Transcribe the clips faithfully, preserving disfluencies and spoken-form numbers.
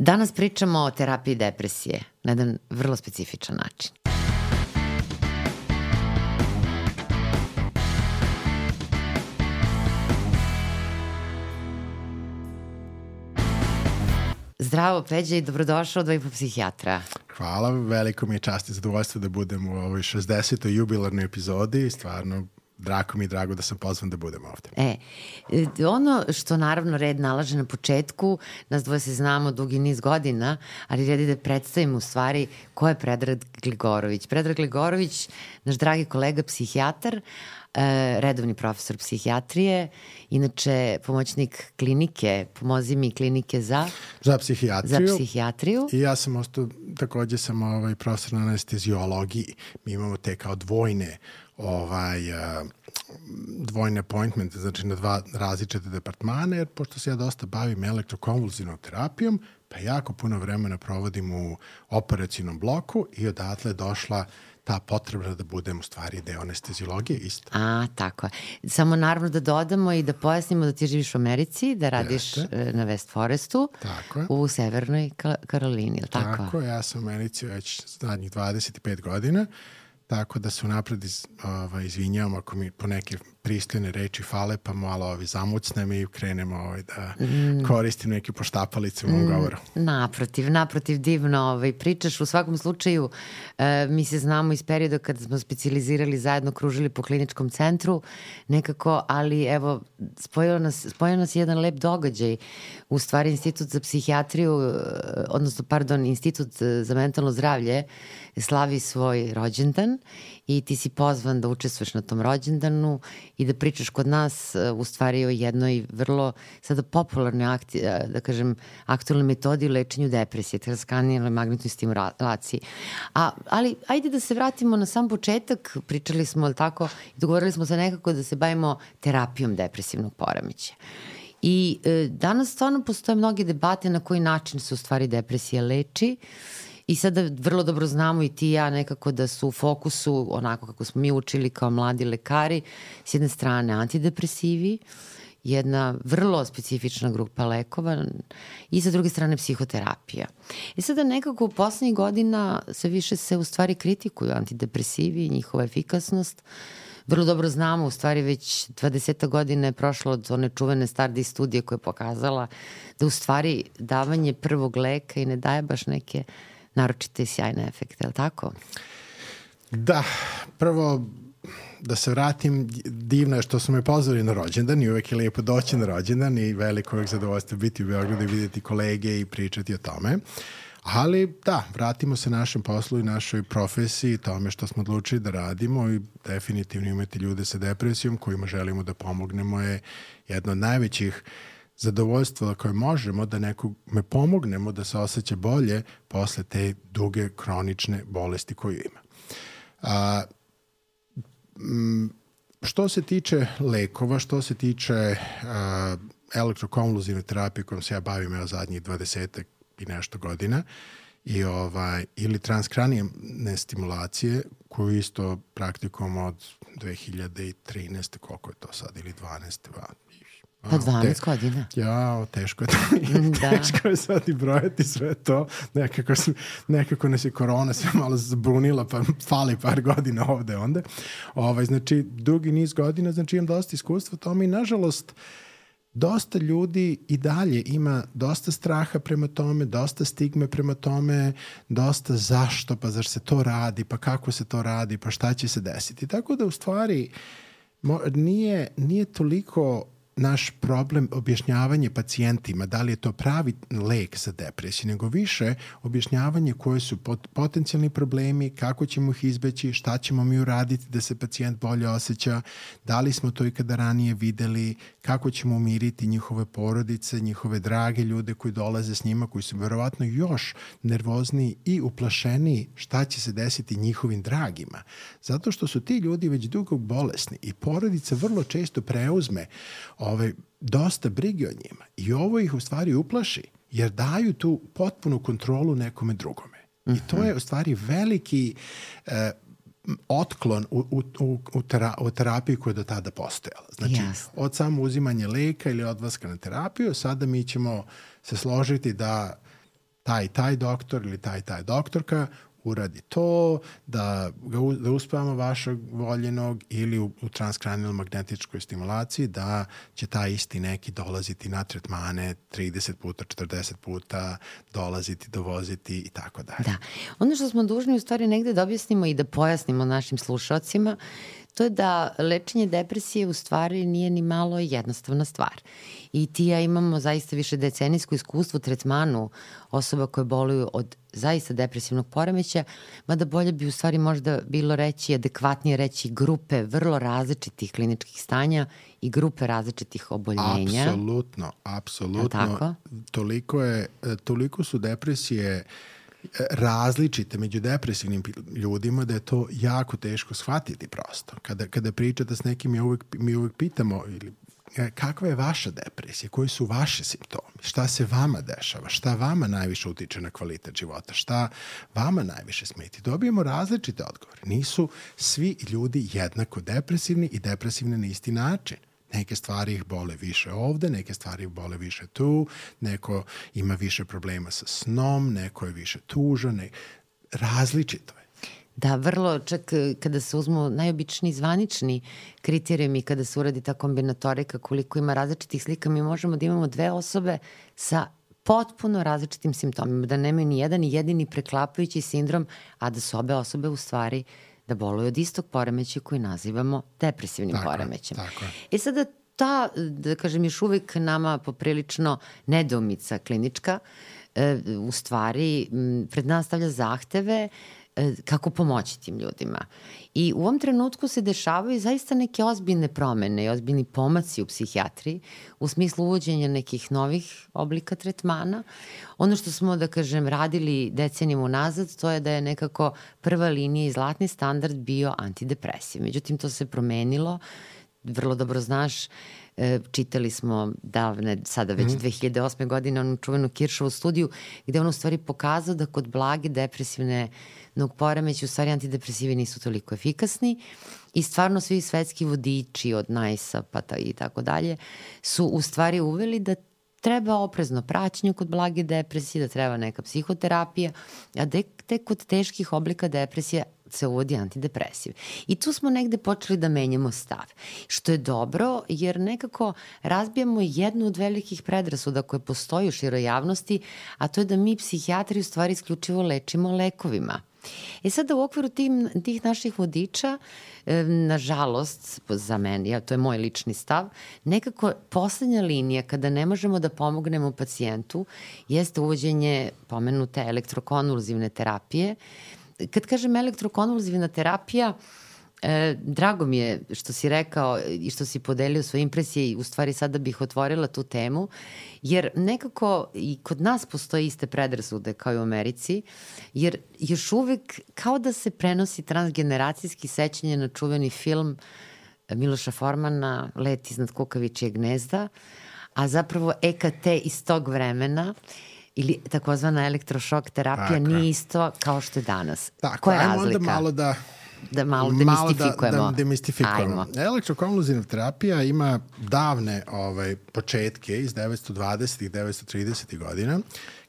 Danas pričamo o terapiji depresije na jedan vrlo specifičan način. Zdravo, Peđa, i dobrodošao do Psihijatra. Hvala, veliko mi je čast i zadovoljstvo da budem u ovoj šezdesetoj jubilarnoj epizodi i stvarno drago mi je drago da sam pozvan da budem ovde. E, ono što naravno red nalaže na početku, nas dvoje se znamo dugi niz godina, ali red je da predstavimo u stvari ko je Predrag Gligorović. Predrag Gligorović, naš dragi kolega psihijatar, redovni profesor psihijatrije, inače pomoćnik klinike, pomozi mi klinike za... Za psihijatriju. Za psihijatriju. I ja sam ostao, takođe sam ovaj, profesor na anestezijologiji. Mi imamo te kao dvojne ovaj, uh, dvojne appointmente, znači na dva različite departmane, jer pošto se ja dosta bavim elektrokonvulzivnom terapijom, pa jako puno vremena provodim u operacijnom bloku i odatle je došla ta potrebna da budem u stvari deo anestezijologije isto. A, tako je. Samo naravno da dodamo i da pojasnimo da ti živiš u Americi, da radiš Jeste. na West Forestu, tako u Severnoj Karolini, ili tako? Tako, ja sam u Americi već zadnjih dvadeset pet godina, tako da se unapred iz, ovaj, izvinjavam ako mi po neke pristojne reči fale, pa malo ovaj, zamucnem i krenemo ovaj, da mm. koristim neke poštapalice u mom govoru. Mm, naprotiv, naprotiv, divno ovaj, pričaš. U svakom slučaju, e, mi se znamo iz perioda kada smo specijalizirali zajedno, kružili po kliničkom centru nekako, ali evo, spojio nas, spojio nas jedan lep događaj. U stvari, Institut za psihijatriju, odnosno, pardon, Institut za mentalno zdravlje slavi svoj rođendan i ti si pozvan da učestvuješ na tom rođendanu i da pričaš kod nas u stvari o jednoj vrlo sada popularnoj akti, da kažem, aktualnoj metodi u lečenju depresije, transkranijalnoj magnetnoj stimulaciji. A, ali ajde da se vratimo na sam početak, pričali smo, ali tako, i dogovorili smo se nekako da se bavimo terapijom depresivnog poremećaja. I e, danas stvarno postoje mnoge debate na koji način se u stvari depresija leči. I sada vrlo dobro znamo i ti i ja nekako da su u fokusu, onako kako smo mi učili kao mladi lekari, s jedne strane antidepresivi, jedna vrlo specifična grupa lekova i sa druge strane psihoterapija. I sada nekako u poslednjih godina sve više se u stvari kritikuju antidepresivi i njihova efikasnost. Vrlo dobro znamo, u stvari već dvadeset godina je prošlo od one čuvene Stardi studije koja je pokazala da u stvari davanje prvog leka i ne daje baš neke naročite i sjajne efekte, je li tako? Da, prvo da se vratim, divno je što su me pozvali na rođendan i uvek je lijepo doći na rođendan i veliko uvek zadovoljstvo biti u Beogradu i vidjeti kolege i pričati o tome. Ali da, vratimo se našem poslu i našoj profesiji, tome što smo odlučili da radimo i definitivno imati ljude sa depresijom kojima želimo da pomognemo je jedno od najvećih zadovoljstvo koje možemo da nekome pomognemo da se osjeća bolje posle te duge kronične bolesti koju ima. A, m, što se tiče lekova, što se tiče a, elektrokonvulzivne terapije kojom se ja bavim evo zadnjih dvadesetak i nešto godina i ovaj, ili transkranijalne stimulacije koju isto praktikujemo od dve hiljade trinaeste. koliko je to sad, ili dvanaeste. Pa dvanaest godina. Ja, teško je to. Da. Teško je sad i brojati sve to. Nekako, nekako nas je korona se malo zabunila, pa fali par godina ovde onda. Ovaj, znači, dugi niz godina, znači imam dosta iskustva tome i nažalost dosta ljudi i dalje ima dosta straha prema tome, dosta stigme prema tome, dosta zašto, pa zašto se to radi, pa kako se to radi, pa šta će se desiti. Tako da u stvari nije, nije toliko naš problem objašnjavanje pacijentima da li je to pravi lek za depresiju, nego više objašnjavanje koje su pot, potencijalni problemi, kako ćemo ih izbeći, šta ćemo mi uraditi da se pacijent bolje osjeća, da li smo to ikada ranije videli, kako ćemo umiriti njihove porodice, njihove drage ljude koji dolaze s njima, koji su verovatno još nervozniji i uplašeniji šta će se desiti njihovim dragima. Zato što su ti ljudi već dugo bolesni i porodica vrlo često preuzme Ove, dosta brige o njima i ovo ih u stvari uplaši jer daju tu potpunu kontrolu nekome drugome. Uh-huh. I to je u stvari veliki eh, otklon u, u, u, u, tera, u terapiji koja je do tada postojala. Znači, yes. od samo uzimanja leka ili odlaska na terapiju, sada mi ćemo se složiti da taj taj doktor ili taj taj doktorka uradi to, da, ga, da uspavamo vašeg voljenog ili u, u transkranijalnoj magnetičkoj stimulaciji da će taj isti neki dolaziti na tretmane trideset puta, četrdeset puta, dolaziti, dovoziti i tako dalje. Da. Ono što smo dužni u stvari negde da objasnimo i da pojasnimo našim slušalcima, to je da lečenje depresije u stvari nije ni malo jednostavna stvar. I ti ja imamo zaista više decenijsko iskustvo u tretmanu osoba koje boluju od zaista depresivnog poremeća, mada bolje bi u stvari možda bilo reći, adekvatnije reći grupe vrlo različitih kliničkih stanja i grupe različitih oboljenja. Apsolutno, apsolutno. Toliko, je, toliko su depresije različite među depresivnim ljudima da je to jako teško shvatiti prosto. Kada, kada pričate s nekim, mi uvek, mi uvek pitamo ili kakva je vaša depresija, koji su vaši simptomi, šta se vama dešava, šta vama najviše utiče na kvalitet života, šta vama najviše smeti. Dobijemo različite odgovore. Nisu svi ljudi jednako depresivni i depresivni na isti način. Neke stvari ih bole više ovde, neke stvari ih bole više tu, neko ima više problema sa snom, neko je više tužan, ne... različito je. Da, vrlo, čak kada se uzmu najobičniji zvanični kriterijumi, kada se uradi ta kombinatorika, koliko ima različitih slika, mi možemo da imamo dve osobe sa potpuno različitim simptomima, da nemaju ni jedan ni jedini preklapajući sindrom, a da su obe osobe u stvari da boluju od istog poremeća koji nazivamo depresivnim tako poremećem. Je, tako je. E sada ta, da kažem, još uvek nama poprilično nedoumica klinička, e, u stvari pred nas stavlja zahteve kako pomoći tim ljudima. I u ovom trenutku se dešavaju zaista neke ozbiljne promene i ozbiljni pomaci u psihijatriji u smislu uvođenja nekih novih oblika tretmana. Ono što smo, da kažem, radili decenijama unazad, to je da je nekako prva linija i zlatni standard bio antidepresiv. Međutim, to se promenilo. Vrlo dobro znaš, čitali smo davne, sada već mm-hmm. dve hiljade osme. godine onu čuvenu Kiršovu studiju, gde on u stvari pokazao da kod blage depresivne nog poremeća u stvari antidepresivi nisu toliko efikasni i stvarno svi svetski vodiči od Najsa pa ta i tako dalje su u stvari uveli da treba oprezno praćenje kod blage depresije, da treba neka psihoterapija, a de, tek kod teških oblika depresije se uvodi antidepresiv. I tu smo negde počeli da menjamo stav. Što je dobro, jer nekako razbijamo jednu od velikih predrasuda koje postoji u široj javnosti, a to je da mi psihijatri u stvari isključivo lečimo lekovima. E sada u okviru tim, tih naših vodiča, e, nažalost, za mene, ja, to je moj lični stav, nekako poslednja linija kada ne možemo da pomognemo pacijentu jeste uvođenje pomenute elektrokonvulzivne terapije. Kad kažem elektrokonvulzivna terapija, E, drago mi je što si rekao i što si podelio svoje impresije i u stvari sada bih otvorila tu temu, jer nekako i kod nas postoje iste predrasude kao i u Americi, jer još uvek kao da se prenosi transgeneracijski sećanje na čuveni film Miloša Formana Let iznad kukavičijeg gnezda, a zapravo E K T iz tog vremena ili takozvana elektrošok terapija tako nije isto kao što je danas. Tako, koja je ajmo razlika? onda malo da da malo demistifikujemo. Malo da, da demistifikujemo. Elektrokonvulzivna terapija ima davne ovaj, početke iz devetsto dvadesetih, devetsto tridesetih godina,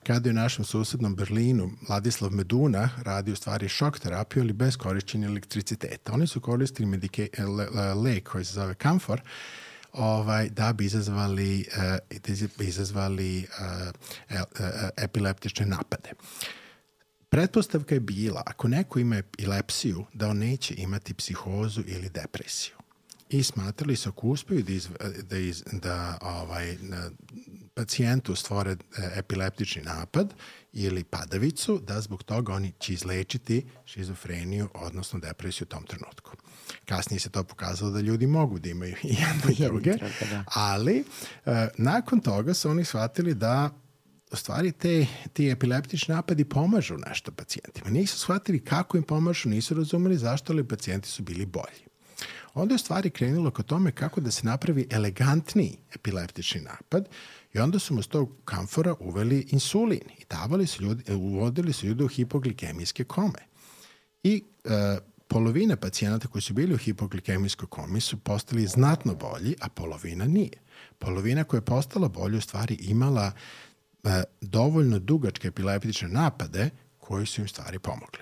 kada je u našem susednom Berlinu Ladislav Meduna radio stvari šok terapiju, ali bez korišćenja elektriciteta. Oni su koristili medike, le, lek koji se zove Camphor, ovaj, da bi izazvali, uh, izazvali uh, uh, epileptične napade. Pretpostavka je bila, ako neko ima epilepsiju, da on neće imati psihozu ili depresiju. I smatrali su, ako uspeju da, iz, da, iz, da ovaj, pacijentu stvore epileptični napad ili padavicu, da zbog toga oni će izlečiti šizofreniju, odnosno depresiju u tom trenutku. Kasnije se to pokazalo da ljudi mogu da imaju i jedno i druge, ali uh, nakon toga su oni shvatili da u stvari te, ti epileptični napadi pomažu nešto pacijentima. Nisu shvatili kako im pomažu, nisu razumeli zašto, ali pacijenti su bili bolji. Onda je u stvari krenulo ka tome kako da se napravi elegantniji epileptični napad i onda su mu s tog kamfora uveli insulin i davali su ljudi, uvodili su ljude u hipoglikemijske kome. I e, polovina pacijenata koji su bili u hipoglikemijskoj komi su postali znatno bolji, a polovina nije. Polovina koja je postala bolja u stvari imala e, dovoljno dugačke epileptične napade koji su im stvari pomogli.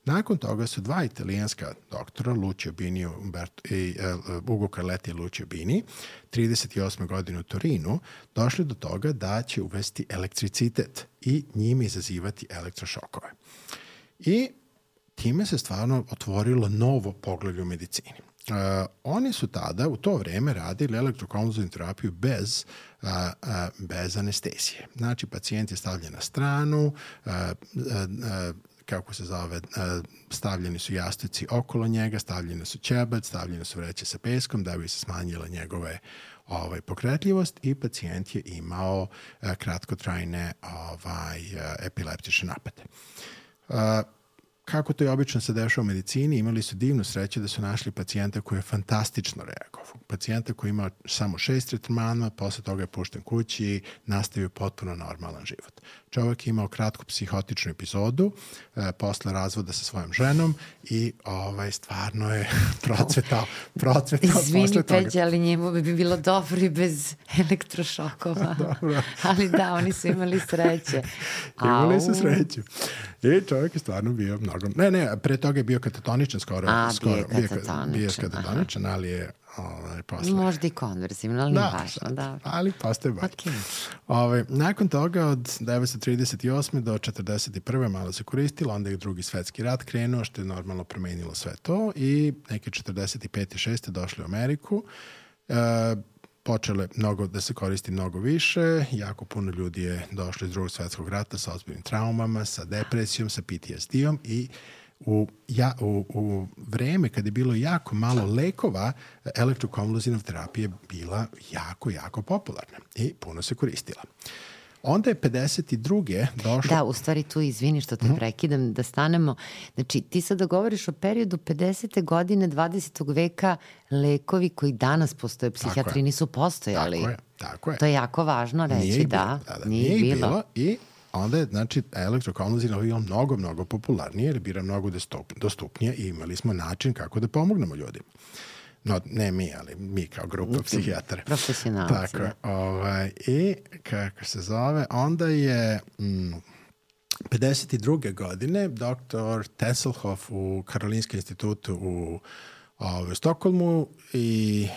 Nakon toga su dva italijanska doktora, Lucio Bini Umberto, i uh, Ugo Carletti i Lucio Bini, trideset osme godine u Torinu, došli do toga da će uvesti elektricitet i njime izazivati elektrošokove. I time se stvarno otvorilo novo poglavlje u medicini. Uh, oni su tada u to vreme radili elektrokonvulzivnu terapiju bez, uh, uh, bez anestezije. Znači, pacijent je stavljen na stranu, uh, uh, uh, kako se zove, stavljeni su jastuci okolo njega, stavljene su ćebac, stavljene su vreće sa peskom da bi se smanjila njegove ovaj, pokretljivost i pacijent je imao kratkotrajne ovaj, epileptične napade. Kako to je obično se dešava u medicini, imali su divnu sreću da su našli pacijenta koji je fantastično reagovao. Pacijenta koji ima samo šest tretmana, posle toga je pušten kući i nastavio potpuno normalan život. Čovjek je imao kratku psihotičnu epizodu e, posle razvoda sa svojom ženom i ovaj, stvarno je procvetao, procvetao Izvini, posle toga. Peđa, ali njemu bi bilo dobro i bez elektrošokova. Ali da, oni su imali sreće. Imali Au. su sreću. I čovjek je stvarno bio mnogo... Ne, ne, pre toga je bio katatoničan skoro. A, skoro, bio je katatoničan. Bio je katatoničan, ali je ovaj, posle... Možda i konverzivno, ali nije da, važno. Da. Ali postoje bolje. Okay. Ovaj, nakon toga od devetsto trideset osme do četrdeset prve malo se koristilo, onda je drugi svetski rat krenuo, što je normalno promenilo sve to i neke četrdeset pete i šeste došli u Ameriku. E, počele mnogo, da se koristi mnogo više, jako puno ljudi je došlo iz drugog svetskog rata sa ozbiljnim traumama, sa depresijom, sa P T S D-om i u, ja, u, u vreme kad je bilo jako malo lekova, elektrokonvulzivna terapija je bila jako, jako popularna i puno se koristila. Onda je pedeset druge došlo... Da, u stvari tu, izvini što te mm-hmm. prekidam, da stanemo. Znači, ti sada govoriš o periodu pedesete godine dvadesetog veka, lekovi koji danas postoje, psihijatri nisu postojali. Tako je, tako je. To je jako važno reći, nije da. Bilo, da, da. Nije, nije bilo. bilo i onda je, znači, elektrokonvulzivna bila mnogo, mnogo popularnije, jer je bila mnogo dostupnije i imali smo način kako da pomognemo ljudima. No, ne mi, ali mi kao grupa psihijatara. Profesionalci. Tako je. Ovaj, i, kako se zove, onda je mm, pedeset druge godine doktor Tesselhoff u Karolinskom institutu u, u Stokholmu i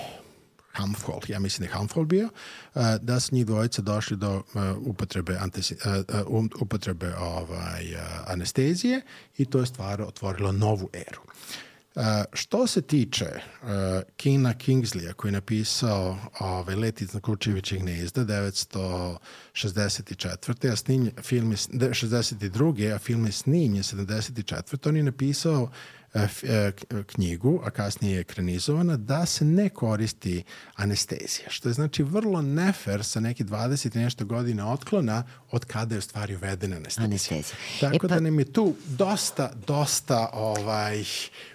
Hamfol, ja mislim da je Hamfol bio, uh, da su njih dvojica došli do uh, upotrebe, antesi, uh, um, upotrebe ovaj, uh, anestezije i to je stvar otvorilo novu eru. Uh, što se tiče uh, Kina Kingsleya koji je napisao ovaj, Let iznad Kučevićih gnezda devetsto šezdeset četvrte a snimlje, film je šezdeset druge a film je snimljen sedamdeset četvrte On je napisao uh, uh, knjigu, a kasnije je ekranizovana, da se ne koristi anestezija, što je znači vrlo nefer sa neki dvadeset i nešto godina otklona od kada je u stvari uvedena anestezija. Anestezija. Tako e pa... da nam je tu dosta, dosta ovaj...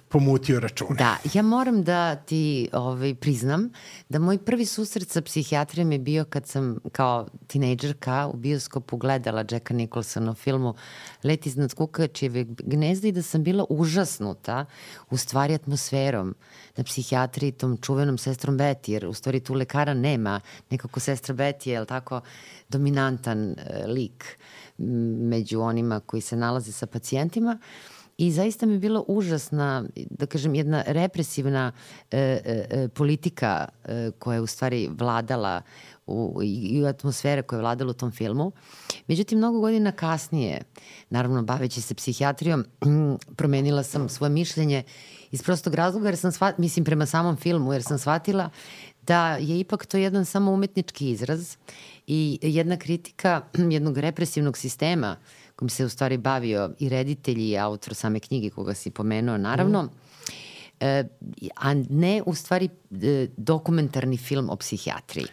pomutio račune. Da, ja moram da ti ovaj, priznam da moj prvi susret sa psihijatrijom je bio kad sam kao tinejdžerka u bioskopu gledala Jacka Nicholsona u filmu Let iznad Kukavičjeg gnezda i da sam bila užasnuta u stvari atmosferom na psihijatriji, tom čuvenom sestrom Betty, jer u stvari tu lekara nema. Nekako sestra Betty je tako dominantan e, lik među onima koji se nalaze sa pacijentima. I zaista mi je bila užasna, da kažem, jedna represivna e, e, politika e, koja je u stvari vladala u, i atmosfera koja je vladala u tom filmu. Međutim, mnogo godina kasnije, naravno baveći se psihijatrijom, promenila sam svoje mišljenje iz prostog razloga, jer sam shvatila, mislim prema samom filmu, jer sam shvatila da je ipak to jedan samo umetnički izraz i jedna kritika jednog represivnog sistema kojim se u stvari bavio i reditelj i autor same knjige koga si pomenuo, naravno, mm. e, a ne u stvari e, dokumentarni film o psihijatriji.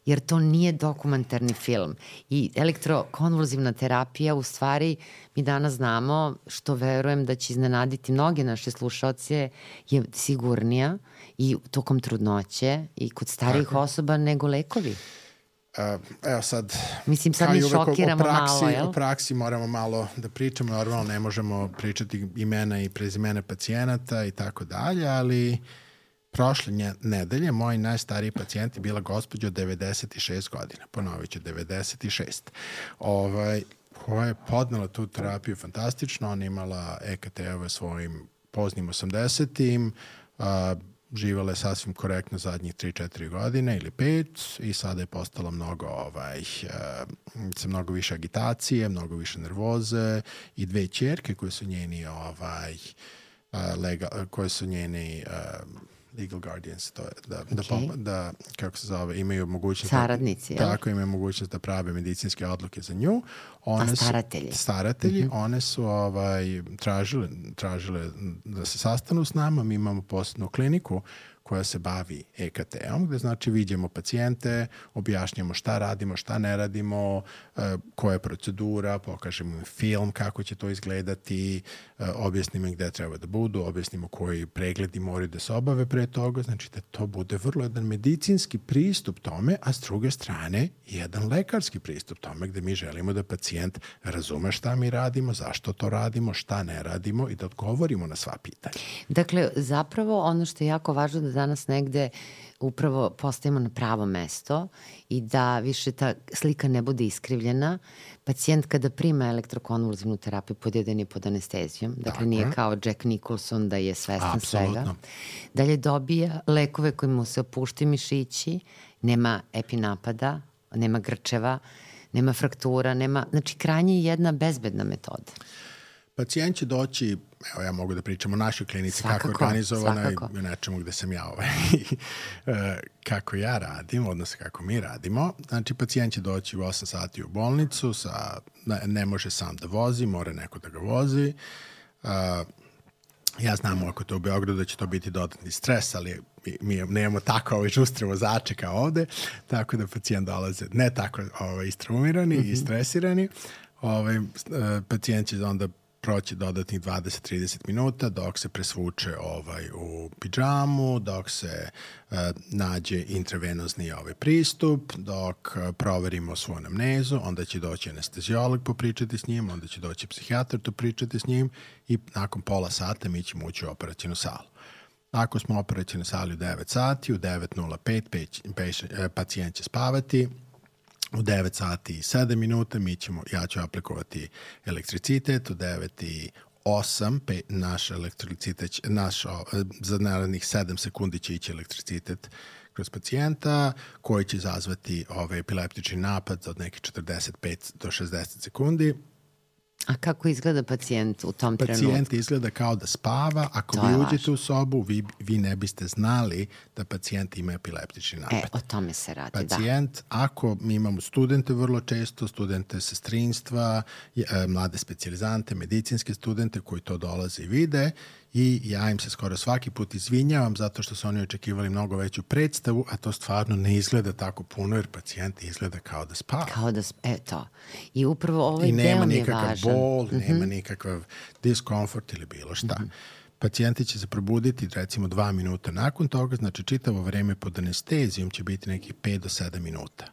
Jer to nije dokumentarni film. I elektrokonvulzivna terapija u stvari mi danas znamo, što verujem da će iznenaditi mnoge naše slušaoce, je sigurnija i tokom trudnoće i kod starijih Tako. osoba nego lekovi. Uh, evo sad, mislim sad mi šokiramo praksi, malo, jel? U praksi moramo malo da pričamo, normalno ne možemo pričati imena i prezimena pacijenata i tako dalje, ali prošle nje, nedelje moj najstariji pacijent je bila gospođa od devedeset šest godina. Ponovit ću, devedeset šest. Ovaj, koja je podnela tu terapiju fantastično. Ona imala E K T-ove svojim poznim osamdesetim, a, živjela je sasvim korektno zadnjih tri četiri godine ili pet i sada je postala mnogo, ovaj, sa mnogo više agitacije, mnogo više nervoze i dve ćerke koje su njeni ovaj, legal, koje su njeni legal guardians, to je da, okay. da, da, kako se zove, imaju mogućnost saradnici, da, tako imaju mogućnost da prave medicinske odluke za nju. One A staratelji? Su, staratelji, mm-hmm. one su ovaj, tražile, tražile da se sastanu s nama, mi imamo posebnu kliniku koja se bavi E K T-om, gde znači vidimo pacijente, objašnjamo šta radimo, šta ne radimo, koja je procedura, pokažemo im film, kako će to izgledati, objasnimo im gde treba da budu, objasnimo koji pregledi moraju da se obave pre toga, znači da to bude vrlo jedan medicinski pristup tome, a s druge strane jedan lekarski pristup tome gde mi želimo da pacijent razume šta mi radimo, zašto to radimo, šta ne radimo i da odgovorimo na sva pitanja. Dakle, zapravo ono što je jako važno da danas negde upravo postavimo na pravo mesto i da više ta slika ne bude iskrivljena. Pacijent kada prima elektrokonvulzivnu terapiju pod jedan je pod anestezijom, dakle Tako. nije kao Jack Nicholson da je svestan Absolutno. svega. Dalje dobija lekove koji mu se opuštaju mišići, nema epinapada, nema grčeva, nema fraktura, nema, znači krajnje je jedna bezbedna metoda. Pacijent će doći, evo ja mogu da pričam o našoj klinici, svakako, kako je organizovana i o nečemu gde sam ja ovaj, kako ja radim, odnosno kako mi radimo. Znači, pacijent će doći u osam sati u bolnicu, sa, ne može sam da vozi, mora neko da ga vozi. Ja znam ako to u Beogradu da će to biti dodatni stres, ali mi, mi nemamo tako ovaj žustre vozače kao ovde, tako da pacijent dolaze ne tako ovaj, istraumirani mm-hmm. i stresirani. Ovaj, pacijent će onda proći dodatnih dvadeset do trideset minuta dok se presvuče ovaj, u pidžamu, dok se uh, nađe intravenozni ovaj pristup, dok uh, proverimo svoju anamnezu, onda će doći anesteziolog popričati s njim, onda će doći psihijatar to pričati s njim i nakon pola sata mi ćemo ući u operacijnu salu. Ako smo u operacijnoj sali u devet sati, u devet nula pet pacijent će spavati, u devet sati i sedam minuta mi ćemo, ja ću aplikovati elektricitet, u devet i osam pe, naš elektricitet, naš, za narednih sedam sekundi će ići elektricitet kroz pacijenta koji će izazvati ovaj epileptični napad od nekih četrdeset pet do šezdeset sekundi. A kako izgleda pacijent u tom pacijent trenutku? Pacijent izgleda kao da spava. Ako to vi uđete u sobu, vi, vi ne biste znali da pacijent ima epileptični napad. E, o tome se radi, pacijent, da. Ako mi imamo studente vrlo često, studente sestrinstva, mlade specijalizante, medicinske studente koji to dolaze i vide, i ja im se skoro svaki put izvinjavam zato što su oni očekivali mnogo veću predstavu, a to stvarno ne izgleda tako puno jer pacijent izgleda kao da spava. Kao da spava, eto. I upravo ovaj deo mi je važan. I nema nikakav bol, mm-hmm. nema nikakav diskomfort ili bilo šta. Mm-hmm. Pacijenti će se probuditi recimo dva minuta nakon toga, znači čitavo vreme pod anestezijom će biti nekih pet do sedam minuta.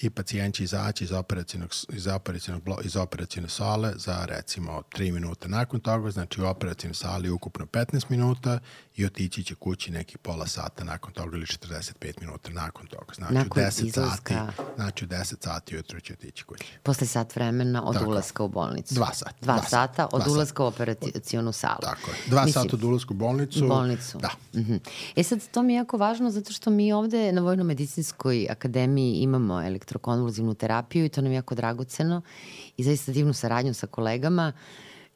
I pacijent će izaći iz operacijnog, iz operacijnog, iz operacijne sale za recimo tri minuta nakon toga, znači u operacijnoj sali ukupno petnaest minuta i otići će kući neki pola sata nakon toga ili četrdeset pet minuta nakon toga. Znači nakon u deset sati, znači u deset sati ujutro će otići kući. Posle sat vremena od Tako. ulaska u bolnicu. Dva sata. Dva, dva sata od dva ulaska sata. u operacijonu salu. Tako je. Dva Mislim, sata od ulaska u bolnicu. bolnicu. Da. Mm-hmm. E sad, to mi je jako važno zato što mi ovde na Vojno-medicinskoj akademiji imamo elektrokonvulzivnu terapiju i to nam je jako dragoceno i zaista divnu saradnju sa kolegama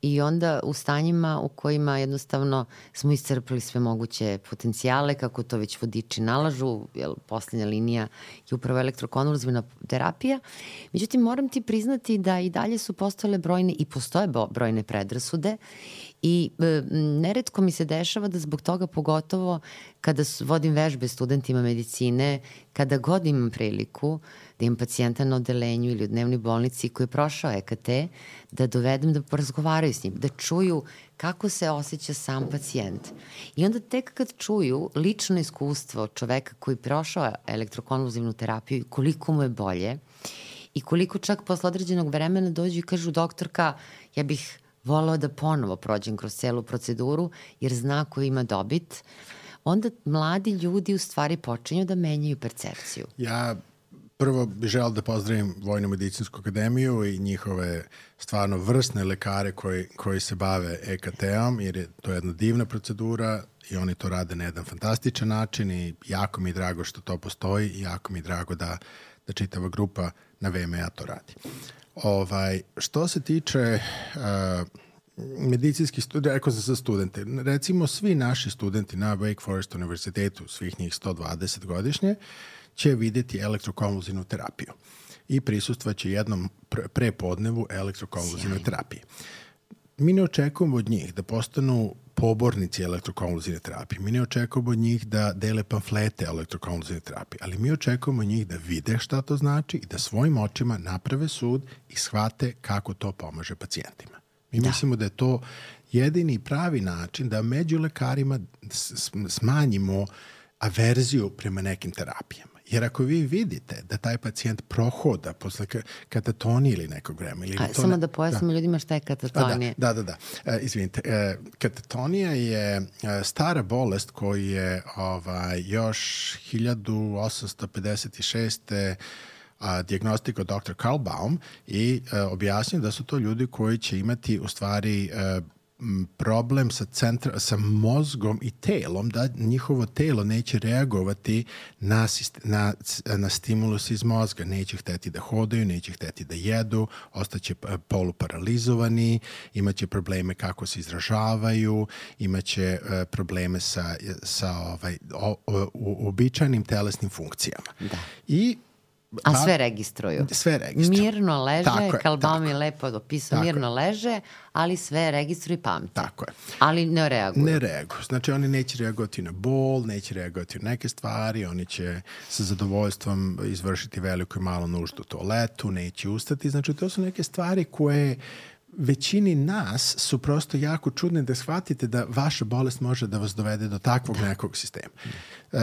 i onda u stanjima u kojima jednostavno smo iscrpili sve moguće potencijale, kako to već vodiči nalažu, jer poslednja linija je upravo elektrokonvulzivna terapija. Međutim, moram ti priznati da i dalje su postojale brojne i postoje brojne predrasude i e, neretko mi se dešava da zbog toga, pogotovo kada vodim vežbe studentima medicine, kada god imam priliku da imam pacijenta na odelenju ili u dnevnoj bolnici koji je prošao E K T, da dovedem da porazgovaraju s njim, da čuju kako se osjeća sam pacijent. I onda tek kad čuju lično iskustvo čoveka koji je prošao elektrokonvulzivnu terapiju, koliko mu je bolje i koliko čak posle određenog vremena dođu i kažu doktorka, ja bih volao da ponovo prođem kroz celu proceduru jer zna ko ima dobit, onda mladi ljudi u stvari počinju da menjaju percepciju. Ja prvo bih želeo da pozdravim Vojno-medicinsku akademiju i njihove stvarno vrsne lekare koji, koji se bave E K T-om, jer je to jedna divna procedura i oni to rade na jedan fantastičan način i jako mi je drago što to postoji i jako mi je drago da, da čitava grupa na V M A to radi. Ovaj, što se tiče uh, medicinskih studija, rekao sam za studente, recimo svi naši studenti na Wake Forest univerzitetu, svih njih sto dvadeset godišnje, će vidjeti elektrokonvulzivnu terapiju i prisustvaće jednom prepodnevu elektrokonvulzivnoj terapiji. Mi ne očekujemo od njih da postanu pobornici elektrokonvulzivne terapije. Mi ne očekujemo od njih da dele pamflete elektrokonvulzivne terapije, ali mi očekujemo od njih da vide šta to znači i da svojim očima naprave sud i shvate kako to pomaže pacijentima. Mi da. mislimo da je to jedini pravi način da među lekarima smanjimo averziju prema nekim terapijama. Jer ako vi vidite da taj pacijent prohoda posle katatonije ili nekog vremena... Ili A, to samo ne, da pojasnimo da. ljudima šta je katatonija. Da, da, da. da. E, izvinite, e, katatonija je e, stara bolest koju je ovaj, još hiljadu osamsto pedeset šeste. A, dijagnostikao doktor Carl Baum i e, objasnio da su to ljudi koji će imati u stvari e, problem sa, centra, sa mozgom i telom, da njihovo telo neće reagovati na, na, na stimulus iz mozga. Neće hteti da hodaju, neće hteti da jedu, ostaće poluparalizovani, imaće probleme kako se izražavaju, imaće uh, probleme sa, sa ovaj, o, o, uobičajenim telesnim funkcijama. Da. I A sve registruju. Sve registruju. Mirno leže, Carl Baum je lepo opisao, mirno je. leže, ali sve registruju i pamte. Tako je. Ali ne reaguju. Ne reaguju. Znači oni neće reagovati na bol, neće reagovati na neke stvari, oni će sa zadovoljstvom izvršiti veliku i malu nuždu u toaletu, neće ustati. Znači to su neke stvari koje većini nas su prosto jako čudne da shvatite da vaša bolest može da vas dovede do takvog da. nekog sistema. Uh,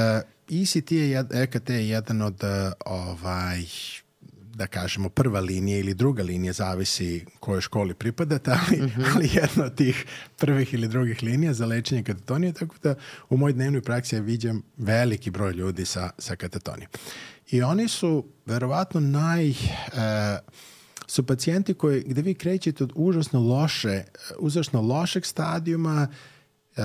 E C T je, E K T je jedan od uh, ovaj, da kažemo prva linija ili druga linija, zavisi kojoj školi pripadate, ali, mm-hmm. ali jedna od tih prvih ili drugih linija za lečenje katatonije, tako da u mojoj dnevnoj praksi ja viđam veliki broj ljudi sa, sa katatonijom. I oni su verovatno naj... Uh, su pacijenti koji, gde vi krećete od užasno loše, užasno lošeg stadijuma, uh,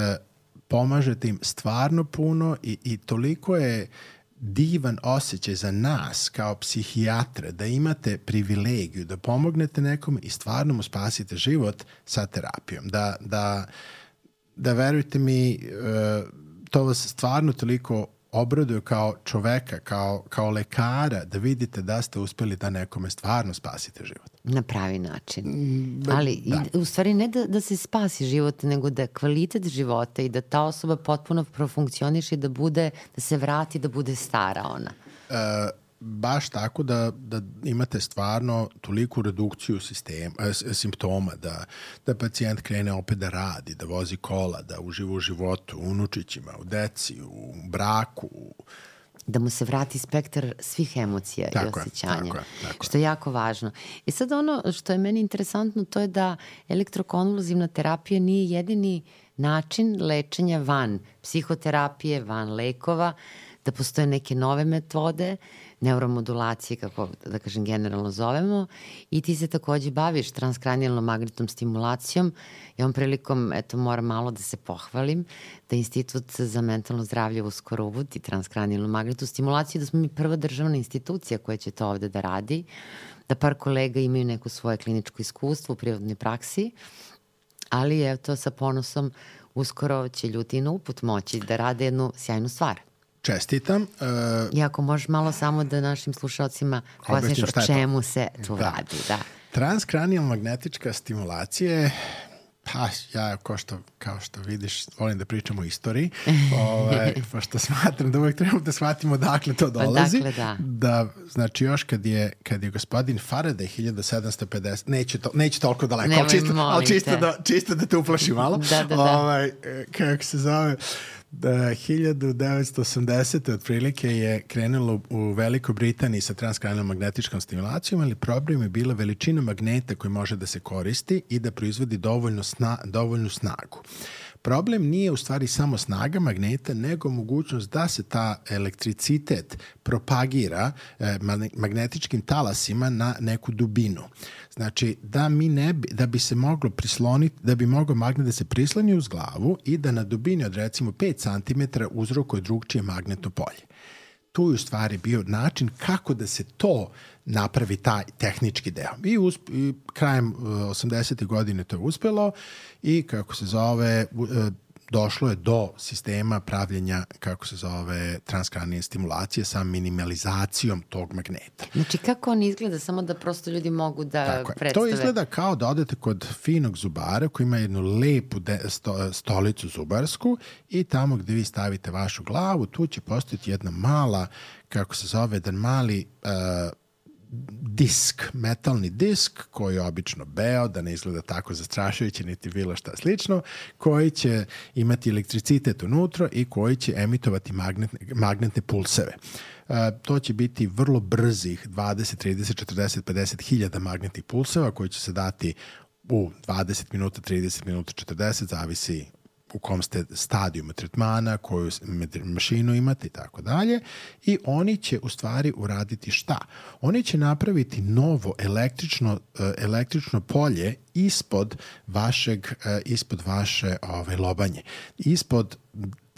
pomažete im stvarno puno i, i toliko je divan osjećaj za nas kao psihijatre da imate privilegiju da pomognete nekome i stvarno mu spasite život sa terapijom. Da, da, da verujte mi, to vas stvarno toliko obraduje kao čoveka, kao, kao lekara, da vidite da ste uspeli da nekome stvarno spasite život. Na pravi način. Ali da. u stvari ne da, da se spasi život, nego da kvalitet života i da ta osoba potpuno profunkcioniše i da bude, da se vrati, da bude stara ona. E, baš tako da, da imate stvarno toliku redukciju sistema, e, simptoma, da, da pacijent krene opet da radi, da vozi kola, da uživa u životu, u unučićima, u deci, u braku, da mu se vrati spektar svih emocija tako i osjećanja, je, tako je, tako što je jako važno. I sad ono što je meni interesantno, to je da elektrokonvulzivna terapija nije jedini način lečenja van psihoterapije, van lekova, da postoje neke nove metode, neuromodulacije, kako da kažem generalno zovemo, i ti se takođe baviš transkranijalnom magnetnom stimulacijom. Ja ovom prilikom, eto, moram malo da se pohvalim, da Institut za mentalno zdravlje uskoro uvodi transkranijalnu magnetnu stimulaciju, da smo mi prva državna institucija koja će to ovde da radi, da par kolega imaju neko svoje kliničko iskustvo u prirodnoj praksi, ali evo to sa ponosom uskoro će ljudi na uput moći da rade jednu sjajnu stvar. Čestitam. Uh, I ako možeš malo samo da našim slušalcima pojasniš o čemu se tu da. radi. Da. Transkranijalna magnetička stimulacija, pa ja ko što, kao što vidiš volim da pričam o istoriji, ovaj, pošto smatram da uvek trebamo da shvatimo dakle to dolazi. Pa dakle, da. da. Znači još kad je, kad je gospodin Faraday hiljadu sedamsto pedeset, neće, to, neće toliko daleko, ali čisto, ali čisto, da, čisto da te uplaši malo. da, da, da. Ovaj, kako se zove... Da, hiljadu devetsto osamdesete otprilike je krenulo u Velikoj Britaniji sa transkranijalnom magnetičkom stimulacijom, ali problem je bila veličina magneta koji može da se koristi i da proizvodi dovoljno sna, dovoljnu snagu. Problem nije u stvari samo snaga magneta, nego mogućnost da se ta elektricitet propagira eh, magnetičkim talasima na neku dubinu. Znači, da mi ne bi, da bi se moglo prisloniti, da bi mogao magnet da se prisloni uz glavu i da na dubini od recimo pet centimetara uzrokuje drugčije magnetno polje. Tu je u stvari bio način kako da se to napravi taj tehnički deo. I, usp, i krajem osamdesetih godine to je uspelo i kako se zove, došlo je do sistema pravljenja, kako se zove, transkranijalne stimulacije sa minimalizacijom tog magneta. Znači, kako on izgleda? Samo da prosto ljudi mogu da Tako predstave. To izgleda kao da odete kod finog zubara koji ima jednu lepu de, sto, stolicu zubarsku i tamo gde vi stavite vašu glavu, tu će postojati jedna mala, kako se zove, jedan mali uh, disk, metalni disk koji je obično beo, da ne izgleda tako zastrašujuće niti bilo šta slično, koji će imati elektricitet unutra i koji će emitovati magnetne, magnetne pulseve. Uh, to će biti vrlo brzih dvadeset, trideset, četrdeset, pedeset hiljada magnetnih pulseva koji će se dati u dvadeset minuta, trideset minuta, četrdeset, zavisi u kom ste stadijumu tretmana, koju mašinu imate i tako dalje. I oni će u stvari uraditi šta? Oni će napraviti novo električno, električno polje ispod vašeg, ispod vaše ove, lobanje. Ispod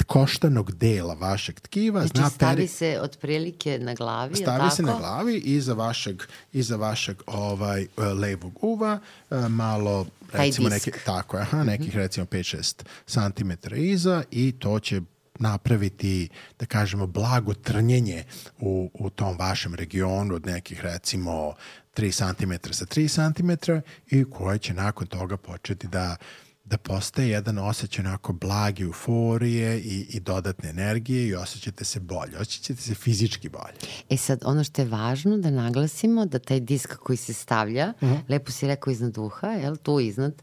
koštanog dela vašeg tkiva. Znači zna stavi peri... se otprilike na glavi, stavi tako? se na glavi iza vašeg, iza vašeg ovaj, levog uva, malo recimo neke, tako je, aha, nekih recimo pet šest santimetara iza i to će napraviti, da kažemo, blago trnjenje u, u tom vašem regionu od nekih recimo tri santimetra sa tri santimetra i koje će nakon toga početi da da postaje jedan osjećaj onako blage euforije i, i dodatne energije i osjećate se bolje, osjećate se fizički bolje. E sad, ono što je važno da naglasimo, da taj disk koji se stavlja, uh-huh. lepo si rekao iznad uha, jel, tu iznad,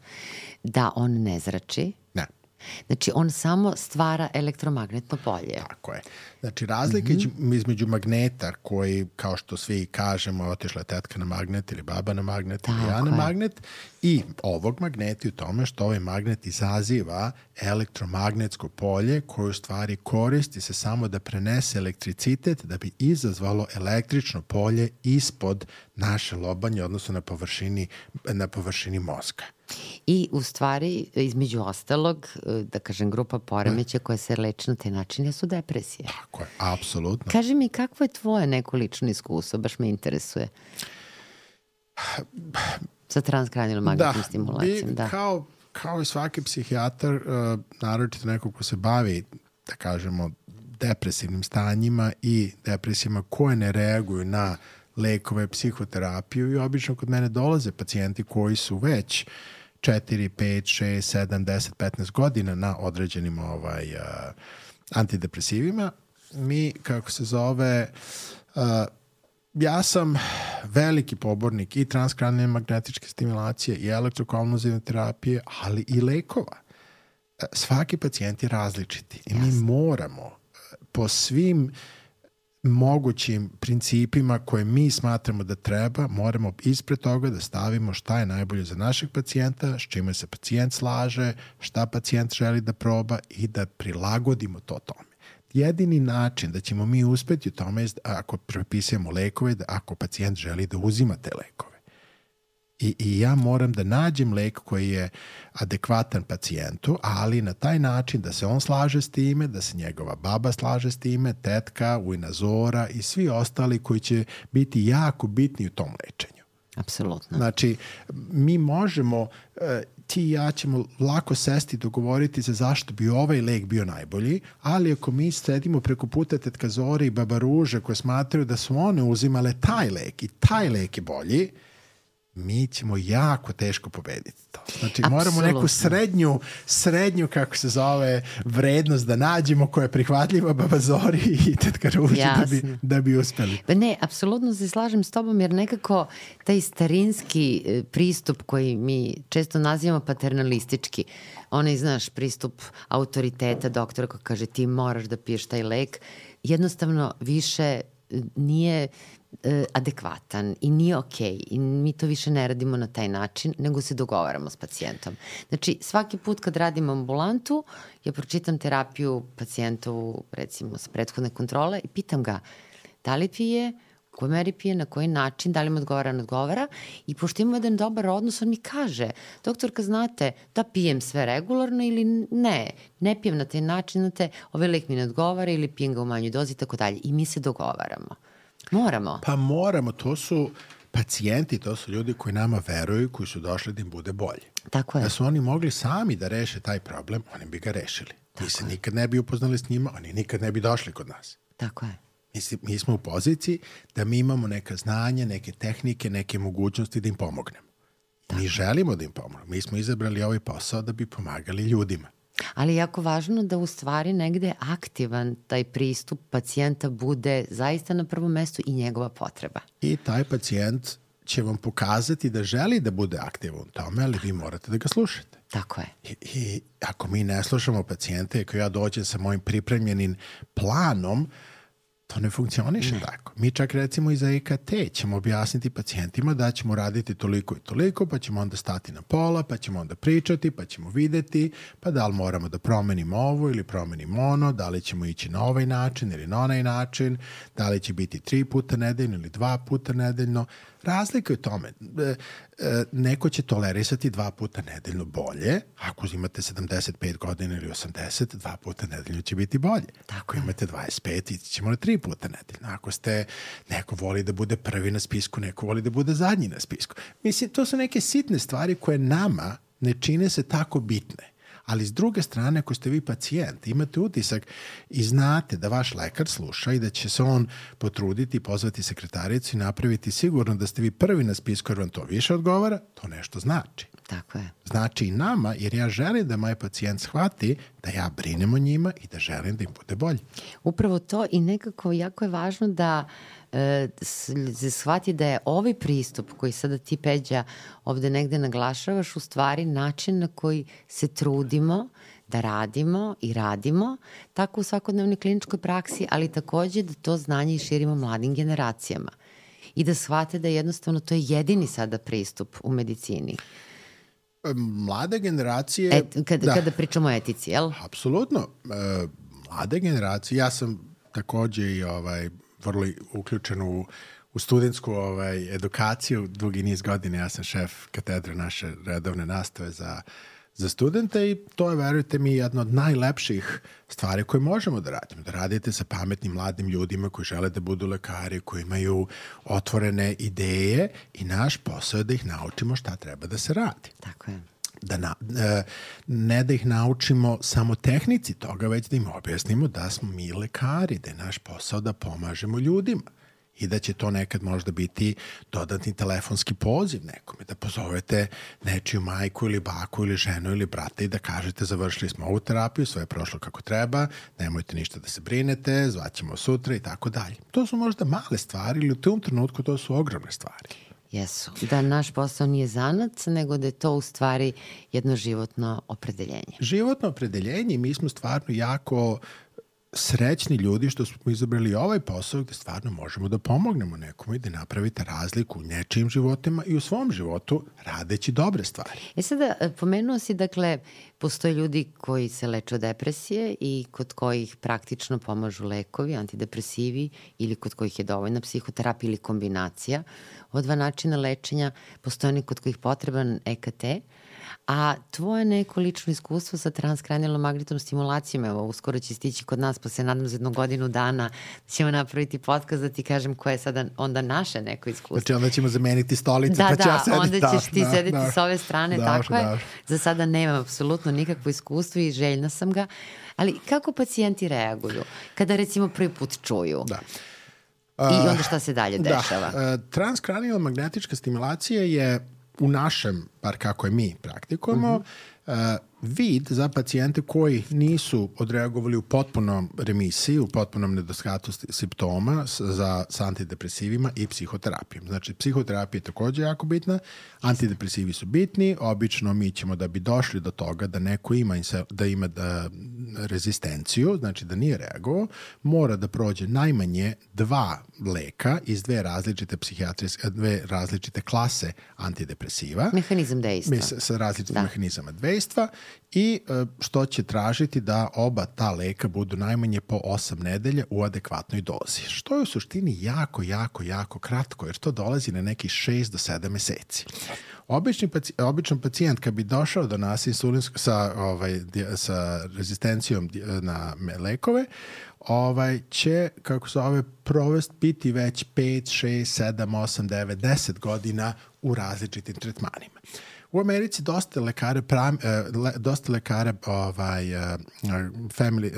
da on ne zrači. Ne. Znači, on samo stvara elektromagnetno polje. Tako je. Znači, razlika mm-hmm. između magneta koji, kao što svi kažemo, otišla je tetka na magnet ili baba na magnet Tako ili ja na je. magnet, i ovog magneta u tome što ovaj magnet izaziva elektromagnetsko polje koje u stvari koristi se samo da prenese elektricitet da bi izazvalo električno polje ispod naše lobanje, odnosno na površini, na površini mozga. I u stvari, između ostalog, da kažem, grupa poremeća koja se leči na taj način jesu depresije. Tako je, apsolutno. Kaži mi, kakvo je tvoje neko lično iskustvo? Baš me interesuje. Sa transkranijalnom magnetnom da, stimulacijom. Bi, da, kao, kao i svaki psihijatar, uh, naročito neko ko se bavi, da kažemo, depresivnim stanjima i depresijama koje ne reaguju na lekove, psihoterapiju i obično kod mene dolaze pacijenti koji su već četiri, pet, šest, sedam, deset, petnaest godina na određenim ovaj, uh, antidepresivima. Mi, kako se zove, uh, ja sam veliki pobornik i transkranijalne magnetičke stimulacije i elektrokonvulzivne terapije, ali i lekova. Svaki pacijent je različiti i mi moramo po svim mogućim principima koje mi smatramo da treba, moramo ispred toga da stavimo šta je najbolje za našeg pacijenta, s čime se pacijent slaže, šta pacijent želi da proba i da prilagodimo to tome. Jedini način da ćemo mi uspeti u tome je ako prepisujemo lekove, da ako pacijent želi da uzima te lekove. I, I ja moram da nađem lek koji je adekvatan pacijentu, ali na taj način da se on slaže s time, da se njegova baba slaže s time, tetka, ujna Zora i svi ostali koji će biti jako bitni u tom lečenju. Apsolutno. Znači, mi možemo, ti i ja ćemo lako sesti i dogovoriti se zašto bi ovaj lek bio najbolji, ali ako mi sedimo preko puta tetka Zore i baba Ruže koje smatraju da su one uzimale taj lek i taj lek je bolji, mi ćemo jako teško pobediti to. Znači, Apsolutno. moramo neku srednju, srednju, kako se zove, vrednost da nađemo koja je prihvatljiva babazori i tetka Ruži da bi, da bi uspeli. Ne, apsolutno se slažem s tobom, jer nekako taj starinski pristup koji mi često nazivamo paternalistički, onaj, znaš, pristup autoriteta doktora koji kaže ti moraš da piješ taj lek, jednostavno više nije adekvatan i nije okej i mi to više ne radimo na taj način, nego se dogovaramo s pacijentom. Znači, svaki put kad radim ambulantu, ja pročitam terapiju pacijentovu, recimo, sa prethodne kontrole i pitam ga da li pije, u kojoj meri pije, na koji način, da li mu odgovara, ne odgovara, i pošto imamo jedan dobar odnos, on mi kaže, doktorka, znate, da pijem sve regularno ili ne, ne pijem na taj način, znate, ovaj lek mi ne odgovara ili pijem ga u manjoj dozi i tako dalje. I mi se dogovaramo. Moramo. Pa moramo, to su pacijenti, to su ljudi koji nama veruju, koji su došli da im bude bolje. Tako je. Da su oni mogli sami da reše taj problem, oni bi ga rešili. Mi se nikad ne bi upoznali s njima, oni nikad ne bi došli kod nas. Tako je. Mislim, mi smo u poziciji da mi imamo neka znanja, neke tehnike, neke mogućnosti da im pomognemo. Tako. Mi želimo da im pomognemo. Mi smo izabrali ovaj posao da bi pomagali ljudima. Ali je jako važno da u stvari negde aktivan taj pristup pacijenta bude zaista na prvom mestu i njegova potreba. I taj pacijent će vam pokazati da želi da bude aktivan u tome, ali vi morate da ga slušate. Tako je. I, i ako mi ne slušamo pacijente, ako ja dođem sa mojim pripremljenim planom, to ne funkcioniše ne. tako. Mi čak recimo i za E K T ćemo objasniti pacijentima da ćemo raditi toliko i toliko, pa ćemo onda stati na pola, pa ćemo onda pričati, pa ćemo videti, pa da li moramo da promenimo ovo ili promenimo ono, da li ćemo ići na ovaj način ili na onaj način, da li će biti tri puta nedeljno ili dva puta nedeljno. Razlika je u tome. E, e, neko će tolerisati dva puta nedeljno bolje. Ako imate sedamdeset pet godina ili osamdeset, dva puta nedeljno će biti bolje. Tako Ako imate dvadeset pet, ići ćemo na tri puta nedeljno. Ako ste, neko voli da bude prvi na spisku, neko voli da bude zadnji na spisku. Mislim, to su neke sitne stvari koje nama ne čine se tako bitne. Ali s druge strane, ako ste vi pacijent, imate utisak i znate da vaš lekar sluša i da će se on potruditi, pozvati sekretaricu i napraviti sigurno da ste vi prvi na spisku jer vam to više odgovara, to nešto znači. Tako je. Znači i nama, jer ja želim da moj pacijent shvati da ja brinem o njima i da želim da im bude bolje. Upravo to, i nekako jako je važno da e, se shvati da je ovaj pristup koji sada ti, Peđa, ovde negde naglašavaš, u stvari način na koji se trudimo da radimo i radimo tako u svakodnevnoj kliničkoj praksi, ali takođe da to znanje i širimo mladim generacijama i da shvate da jednostavno to je jedini sada pristup u medicini. Mlade generacije... Et, kada, da. kada pričamo o etici, jel? Apsolutno. E, mlade generacije, ja sam takođe i ovaj, vrlo uključen u, u studentsku ovaj, edukaciju, dugi niz godine, ja sam šef katedre naše redovne nastave za, za studente i to je, verujte mi, jedna od najlepših stvari koje možemo da radimo. Da radite sa pametnim mladim ljudima koji žele da budu lekari, koji imaju otvorene ideje i naš posao je da ih naučimo šta treba da se radi. Tako je. Da na, ne da ih naučimo samo tehnici toga, već da im objasnimo da smo mi lekari, da je naš posao da pomažemo ljudima. I da će to nekad možda biti dodatni telefonski poziv nekome, da pozovete nečiju majku ili baku ili ženu ili brata i da kažete završili smo ovu terapiju, sve je prošlo kako treba, nemojte ništa da se brinete, zvaćemo sutra i tako dalje. To su možda male stvari ili u tom trenutku to su ogromne stvari. Jesu. Da naš posao nije zanac, nego da je to u stvari jedno životno opredeljenje. Životno opredeljenje, mi smo stvarno jako srećni ljudi što smo izabrali ovaj posao gde stvarno možemo da pomognemo nekome i da napravite razliku u nečijim životima i u svom životu radeći dobre stvari. E sada, pomenuo si, dakle, postoje ljudi koji se leče od depresije i kod kojih praktično pomažu lekovi, antidepresivi ili kod kojih je dovoljna psihoterapija ili kombinacija. Ova dva načina lečenja, postoje oni kod kojih potreban E K T, a tvoje neko lično iskustvo sa transkranijalnom magnetnom stimulacijom, evo, uskoro će stići kod nas, pa se nadam za jednu godinu dana ćemo napraviti podcast da ti kažem koje je sada onda naše neko iskustvo. Znači onda ćemo zameniti stolice, da, pa ću da, ja sediti. onda ćeš ti da, sediti da, s ove strane, da, tako da, je. da. Za sada nemam apsolutno nikakvo iskustvo i željna sam ga, ali kako pacijenti reaguju kada recimo prvi put čuju? Da. I onda šta se dalje dešava? Da, transkranijalna magnetička stimulacija je u našem, bar kako je mi praktikujemo, uh-huh. vid za pacijente koji nisu odreagovali u potpunom remisiji, u potpunom nedostatku simptoma za, sa antidepresivima i psihoterapijom. Znači, psihoterapija je takođe jako bitna, antidepresivi su bitni, obično mi ćemo da bi došli do toga da neko ima, da ima da, rezistenciju, znači da nije reagovao, mora da prođe najmanje dva leka iz dve različite psihijatrijske, dve različite klase antidepresiva. Mehanizam dejstva. Sa, sa različitim mehanizama dejstva i što će tražiti da oba ta leka budu najmanje po osam nedelja u adekvatnoj dozi. Što je u suštini jako, jako, jako kratko, jer to dolazi na nekih šest do sedam meseci. Obični paci, običan pacijent kad bi došao do nas insulinsko, sa, ovaj, sa rezistencijom na lekove, ovaj, će, kako se ove, provest biti već pet, šest, sedam, osam, devet, deset godina u različitim tretmanima. U Americi dosta lekara, pram, dosta lekara ovaj, family,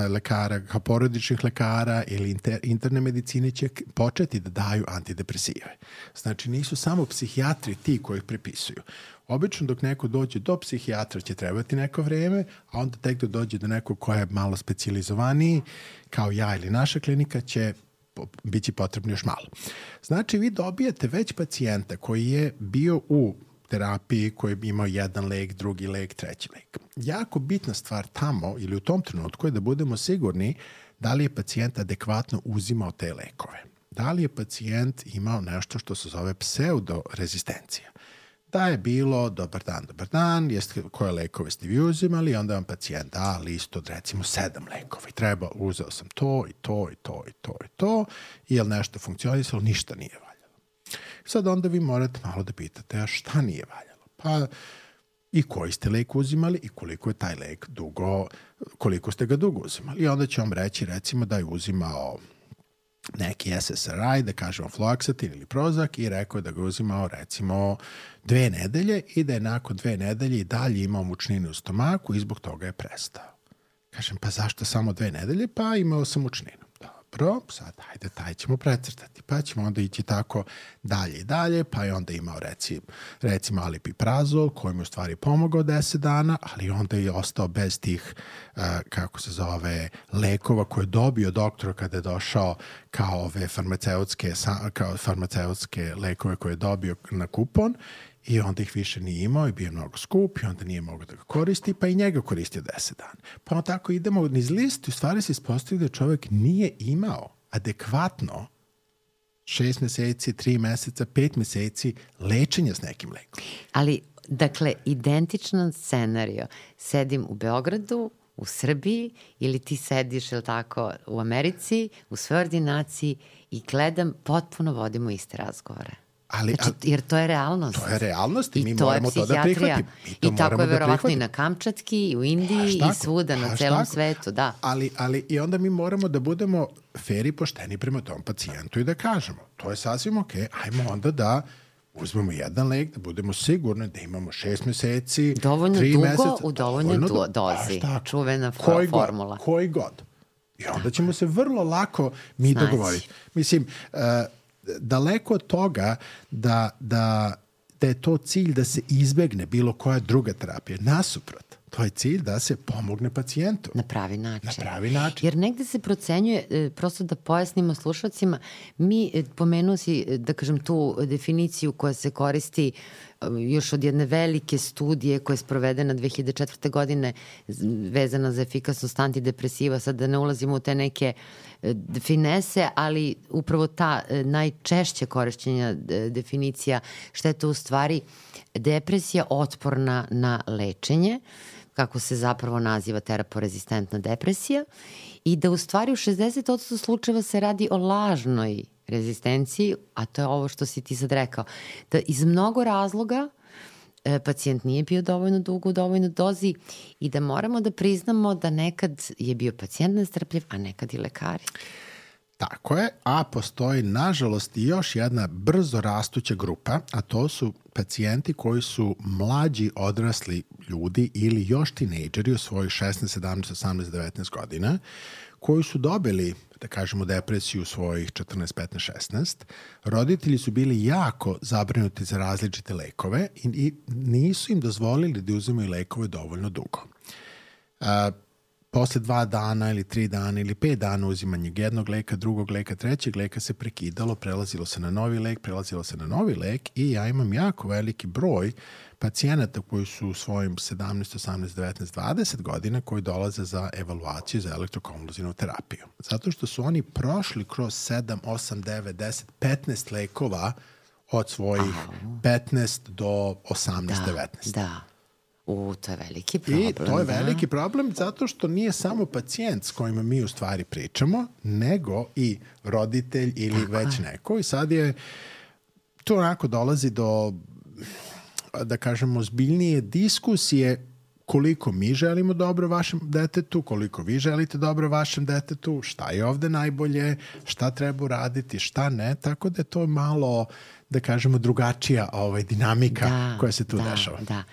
lekara, porodičnih lekara ili inter, interne medicine će početi da daju antidepresive. Znači, nisu samo psihijatri ti koji ih prepisuju. Obično dok neko dođe do psihijatra će trebati neko vreme, a onda tek da dođe do nekog koja je malo specijalizovaniji, kao ja ili naša klinika, će biti potrebno još malo. Znači, vi dobijete već pacijenta koji je bio u terapiji, koji je imao jedan lek, drugi lek, treći lek. Jako bitna stvar tamo ili u tom trenutku je da budemo sigurni da li je pacijent adekvatno uzimao te lekove. Da li je pacijent imao nešto što se zove pseudorezistencija. Da je bilo dobar dan, dobar dan, jeste, koje lekove ste vi uzimali, onda vam pacijent da listu od recimo sedam lekova i treba, uzeo sam to i to i to i to i to i je li nešto funkcionisalo, ništa nije valjalo. Sad onda vi morate malo da pitate, a šta nije valjalo? Pa i koji ste lek uzimali i koliko je taj lek dugo, koliko ste ga dugo uzimali. I onda će vam reći recimo da je uzimao neki S S R I, da kažemo fluoxetin ili Prozac i rekao je da ga uzimao recimo dve nedelje i da je nakon dve nedelje i dalje imao mučnine u stomaku i zbog toga je prestao. Kažem, pa zašto samo dve nedelje? Pa imao sam mučninu. Dobro, sad hajde, taj ćemo precrtati, pa ćemo onda ići tako dalje i dalje, pa je onda imao reci, recimo alipiprazol koji mu u stvari pomogao deset dana, ali onda je ostao bez tih, uh, kako se zove, lekova koje je dobio doktor kada je došao kao ove farmaceutske, kao farmaceutske lekove koje je dobio na kupon i onda ih više nije imao i bio mnogo skup i onda nije mogao da ga koristi, pa i njega koristio deset dana. Pa onda tako idemo niz listu, u stvari se ispostavlja da čovjek nije imao adekvatno šest meseci, tri meseca, pet meseci lečenja s nekim lekom. Ali, dakle, identičan scenario. Sedim u Beogradu, u Srbiji ili ti sediš, ili tako, u Americi, u svojoj ordinaciji i gledam, potpuno vodimo iste razgovore. Ali, znači, jer to je realnost. To je realnost i, I mi moramo to da prihvatimo. I tako je verovatno i na Kamčatski, i u Indiji, i svuda, na celom tako. svetu, da. Ali, ali i onda mi moramo da budemo fer i pošteni prema tom pacijentu i da kažemo, to je sasvim ok, ajmo onda da uzmemo jedan lek, da budemo sigurni da imamo šest meseci, dovoljno tri dugo, meseca. U dovoljnoj do, dozi, čuvena koji formula. God, koji god. I onda ćemo se vrlo lako mi znači. dogovoriti. Mislim, uh, daleko od toga da, da, da je to cilj da se izbegne bilo koja druga terapija. Nasuprot, to je cilj da se pomogne pacijentu. Na pravi način. Na pravi način. Jer negde se procenjuje, prosto da pojasnimo slušalcima, mi, pomenuo si, da kažem, tu definiciju koja se koristi još od jedne velike studije koja je sprovedena dve hiljade četvrte. godine vezana za efikasnost antidepresiva, sad da ne ulazimo u te neke finese, ali upravo ta najčešće korišćenja definicija šta je to u stvari depresija otporna na lečenje, kako se zapravo naziva teraporezistentna depresija, i da u stvari u šezdeset posto slučajeva se radi o lažnoj rezistenciji, a to je ovo što si ti sad rekao, da iz mnogo razloga e, pacijent nije bio dovoljno dugo u dovoljnoj dozi i da moramo da priznamo da nekad je bio pacijent nestrpljiv, a nekad i lekari. Tako je, a postoji nažalost i još jedna brzo rastuća grupa, a to su pacijenti koji su mlađi odrasli ljudi ili još tinejdžeri u svojih šesnaest, sedamnaest, osamnaest, devetnaest godina, koji su dobili, da kažemo, depresiju u svojih četrnaest, petnaest, šesnaest. Roditelji su bili jako zabrinuti za različite lekove i, i nisu im dozvolili da uzimaju lekove dovoljno dugo. Uh, Posle dva dana ili tri dana ili pet dana uzimanja jednog leka, drugog leka, trećeg leka se prekidalo, prelazilo se na novi lek, prelazilo se na novi lek i ja imam jako veliki broj pacijenata koji su u svojim sedamnaest, osamnaest, devetnaest, dvadeset godina koji dolaze za evaluaciju za elektrokonvulzivnu terapiju. Zato što su oni prošli kroz sedam, osam, devet, deset, petnaest lekova od svojih petnaest do osamnaest, devetnaest. Da. U, to je veliki problem. I to je da. veliki problem zato što nije samo pacijent s kojima mi u stvari pričamo, nego i roditelj ili Tako već je. neko. I sad je, to onako dolazi do, da kažemo, zbiljnije diskusije koliko mi želimo dobro vašem detetu, koliko vi želite dobro vašem detetu, šta je ovde najbolje, šta treba uraditi, šta ne, tako da je to malo, da kažemo, drugačija ovaj, dinamika da, koja se tu da, dešava. Da.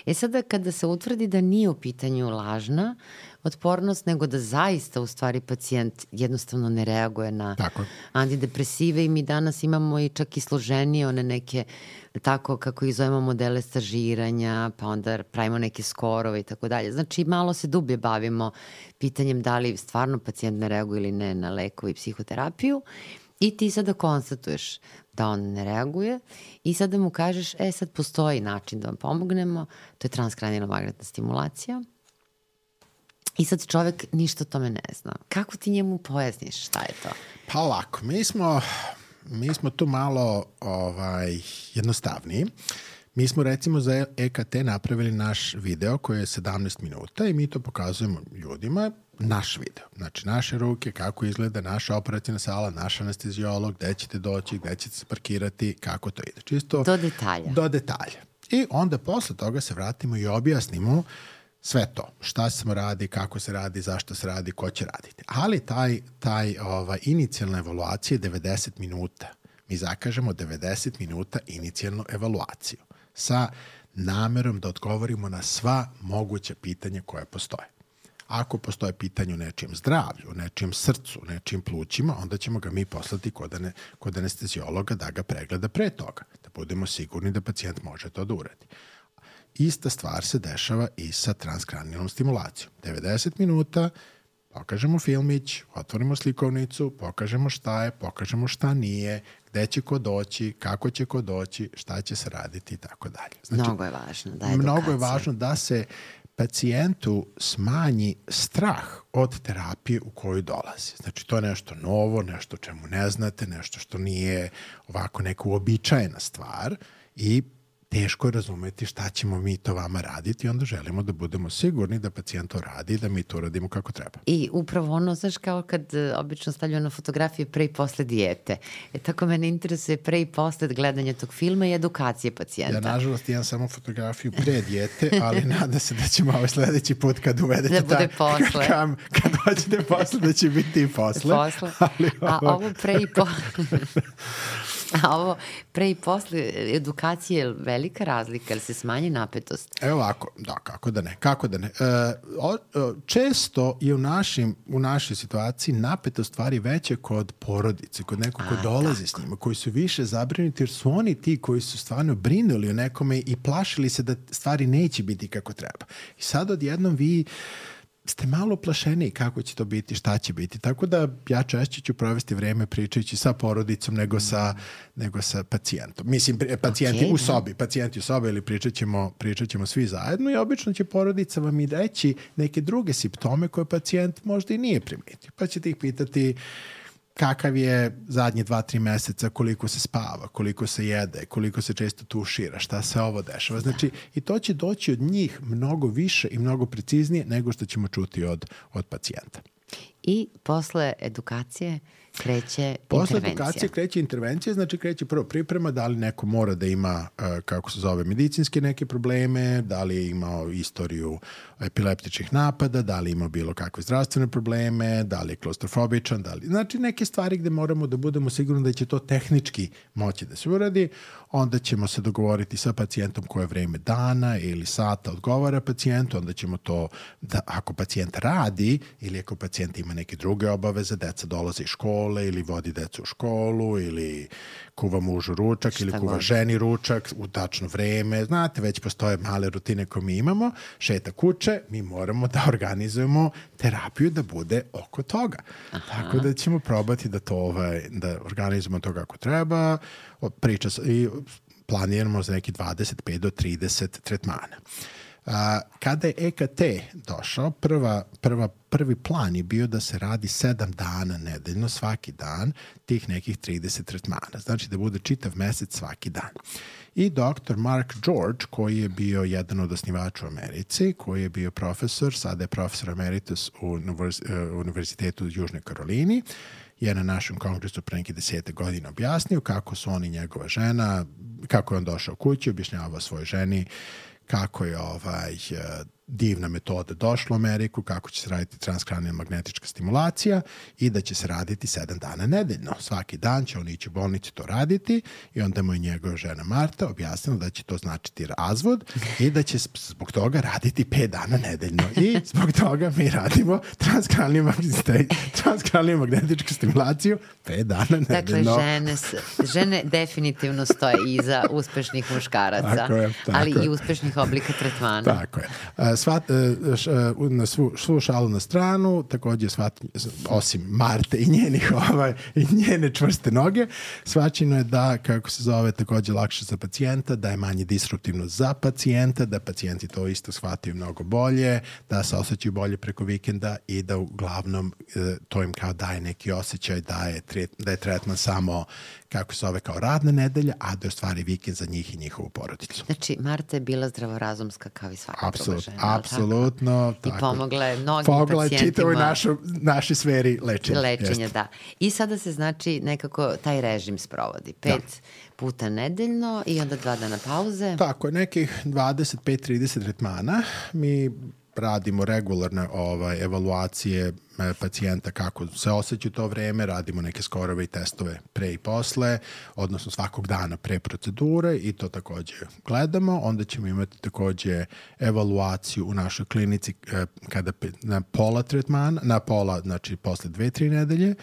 E sada kada se utvrdi da nije u pitanju lažna otpornost, nego da zaista u stvari pacijent jednostavno ne reaguje na tako. antidepresive i mi danas imamo i čak i složenije one neke, tako kako ih zovemo, modele stažiranja, pa onda pravimo neke skorove i tako dalje. Znači malo se dublje bavimo pitanjem da li stvarno pacijent ne reaguje ili ne na lekovi i psihoterapiju i ti sada konstatuješ da on ne reaguje i sada mu kažeš, e sad postoji način da vam pomognemo, to je transkranijalna magnetna stimulacija. I sad čovek ništa o tome ne zna. Kako ti njemu pojasniš šta je to? Pa lako, mi smo, mi smo tu malo ovaj, jednostavniji. Mi smo recimo za E K T napravili naš video koji je sedamnaest minuta i mi to pokazujemo ljudima, naš video. Znači naše ruke, kako izgleda naša operacijna sala, naš anestezijolog, gde ćete doći, gde ćete se parkirati, kako to ide. Čisto do detalja. Do detalja. I onda posle toga se vratimo i objasnimo sve to. Šta se radi, kako se radi, zašto se radi, ko će raditi. Ali taj, taj ovaj, inicijalna evaluacija je devedeset minuta. Mi zakažemo devedeset minuta inicijalnu evaluaciju sa namerom da odgovorimo na sva moguća pitanja koja postoje. Ako postoje pitanje o nečijem zdravlju, nečijem srcu, nečijem plućima, onda ćemo ga mi poslati kod, ane, kod anestezijologa da ga pregleda pre toga, da budemo sigurni da pacijent može to da uradi. Ista stvar se dešava i sa transkranijalnom stimulacijom. devedeset minuta, pokažemo filmić, otvorimo slikovnicu, pokažemo šta je, pokažemo šta nije, gde će ko doći, kako će ko doći, šta će se raditi i tako dalje. Znači, mnogo je važno da edukacija. Mnogo je važno da se pacijentu smanji strah od terapije u koju dolazi. Znači, to je nešto novo, nešto čemu ne znate, nešto što nije ovako neka uobičajena stvar i teško je razumeti šta ćemo mi to vama raditi i onda želimo da budemo sigurni da pacijent to radi i da mi to radimo kako treba. I upravo ono, znaš, kao kad obično stavljaju na fotografije pre i posle dijete. E, tako mene interesuje pre i posle gledanja tog filma i edukacije pacijenta. Ja, nažalost, imam samo fotografiju pre dijete, ali nadam se da ćemo ovaj sledeći put kad uvedete da bude ta, posle. Kad, kad hoćete posle, da će biti i posle. Posle. Ali ovo... A ovo pre i posle... A ovo pre i posle edukacije je velika razlika, ili se smanji napetost? Evo ovako, da, kako da ne, kako da ne. E, o, o, često je u, našim, u našoj situaciji napetost stvari veće kod porodice, kod nekog ko dolazi tako. s njima, koji su više zabrinuti, jer su oni ti koji su stvarno brinuli o nekome i plašili se da stvari neće biti kako treba. I sad odjednom vi ste malo plašeni kako će to biti, šta će biti. Tako da ja češće ću provesti vreme pričajući sa porodicom nego sa, nego sa pacijentom. Mislim, pacijenti okay, u sobi, pacijenti u sobi ili pričat ćemo, pričat ćemo svi zajedno i obično će porodica vam i reći neke druge simptome koje pacijent možda i nije primetio. Pa ćete ih pitati kakav je zadnje dva, tri meseca, koliko se spava, koliko se jede, koliko se često tušira, šta se ovo dešava. Znači, i to će doći od njih mnogo više i mnogo preciznije nego što ćemo čuti od, od pacijenta. I posle edukacije kreće Posle intervencija. edukacije kreće intervencija, znači kreće prvo priprema, da li neko mora da ima, uh, kako se zove, medicinske neke probleme, da li je imao istoriju epileptičnih napada, da li ima bilo kakve zdravstvene probleme, da li je klaustrofobičan, da li... Znači neke stvari gde moramo da budemo sigurni da će to tehnički moći da se uradi, onda ćemo se dogovoriti sa pacijentom koje vreme dana ili sata odgovara pacijentu, onda ćemo to, da ako pacijent radi ili ako pacijent ima neke druge obaveze, deca dolaze iz škole ili vodi decu u školu ili kuva mužu ručak Šta ili kuva god. ženi ručak u tačno vreme. Znate, već postoje male rutine koje mi imamo, šeta kuće, mi moramo da organizujemo terapiju da bude oko toga. Aha. Tako da ćemo probati da to ovaj, da organizujemo to kako treba, priča i planiramo za neki dvadeset pet do trideset tretmana. Uh, kada je E K T došao, prva, prva, prvi plan je bio da se radi sedam dana nedeljno, svaki dan, tih nekih trideset tretmana. Znači da bude čitav mesec svaki dan. I doktor Mark George, koji je bio jedan od osnivača u Americi, koji je bio profesor, sada je profesor emeritus u univerz, uh, Univerzitetu u Južnoj Karolini, je na našem kongresu pre neki desete godine objasnio kako su on i njegova žena, kako je on došao kući, objašnjavao svojoj ženi kako je ovaj divna metoda došla u Ameriku, kako će se raditi transkranijalna magnetička stimulacija i da će se raditi sedam dana nedeljno. Svaki dan će on ići u bolnici to raditi i onda mu je njegova žena Marta objasnila da će to značiti razvod i da će zbog toga raditi pet dana nedeljno. I zbog toga mi radimo transkranijalnu magnetičku stimulaciju pet dana nedeljno. Dakle, žene, žene definitivno stoje iza uspešnih muškaraca, tako je, tako ali je. I uspešnih oblika tretmana. Tako je. Svat, na svu, svu šalu na stranu, takođe svat, osim Marte i njenih ovaj, i njene čvrste noge, svačino je da, kako se zove, takođe lakše za pacijenta, da je manje disruptivno za pacijenta, da pacijenti to isto shvataju mnogo bolje, da se osjećaju bolje preko vikenda i da uglavnom to im kao daje neki osjećaj da je, da je tretman samo, kako se zove, kao radna nedelja, a da je u stvari vikend za njih i njihovu porodicu. Znači, Marta je bila zdravorazumska kao i svaka druga žena. Apsolutno. I pomogla je mnogim pomogla pacijentima. Pomogla je čitavoj naši sferi lečenja. Lečenja, Jeste. da. I sada se znači nekako taj režim sprovodi. Pet da. puta nedeljno i onda dva dana pauze. Tako je, nekih dvadeset pet trideset tretmana. Mi radimo regularne ovaj, evaluacije pacijenta kako se osjeća to vreme, radimo neke skorove i testove pre i posle, odnosno svakog dana pre procedure i to takođe gledamo. Onda ćemo imati takođe evaluaciju u našoj klinici kada na pola tretmana, na pola, znači posle dve, tri nedelje,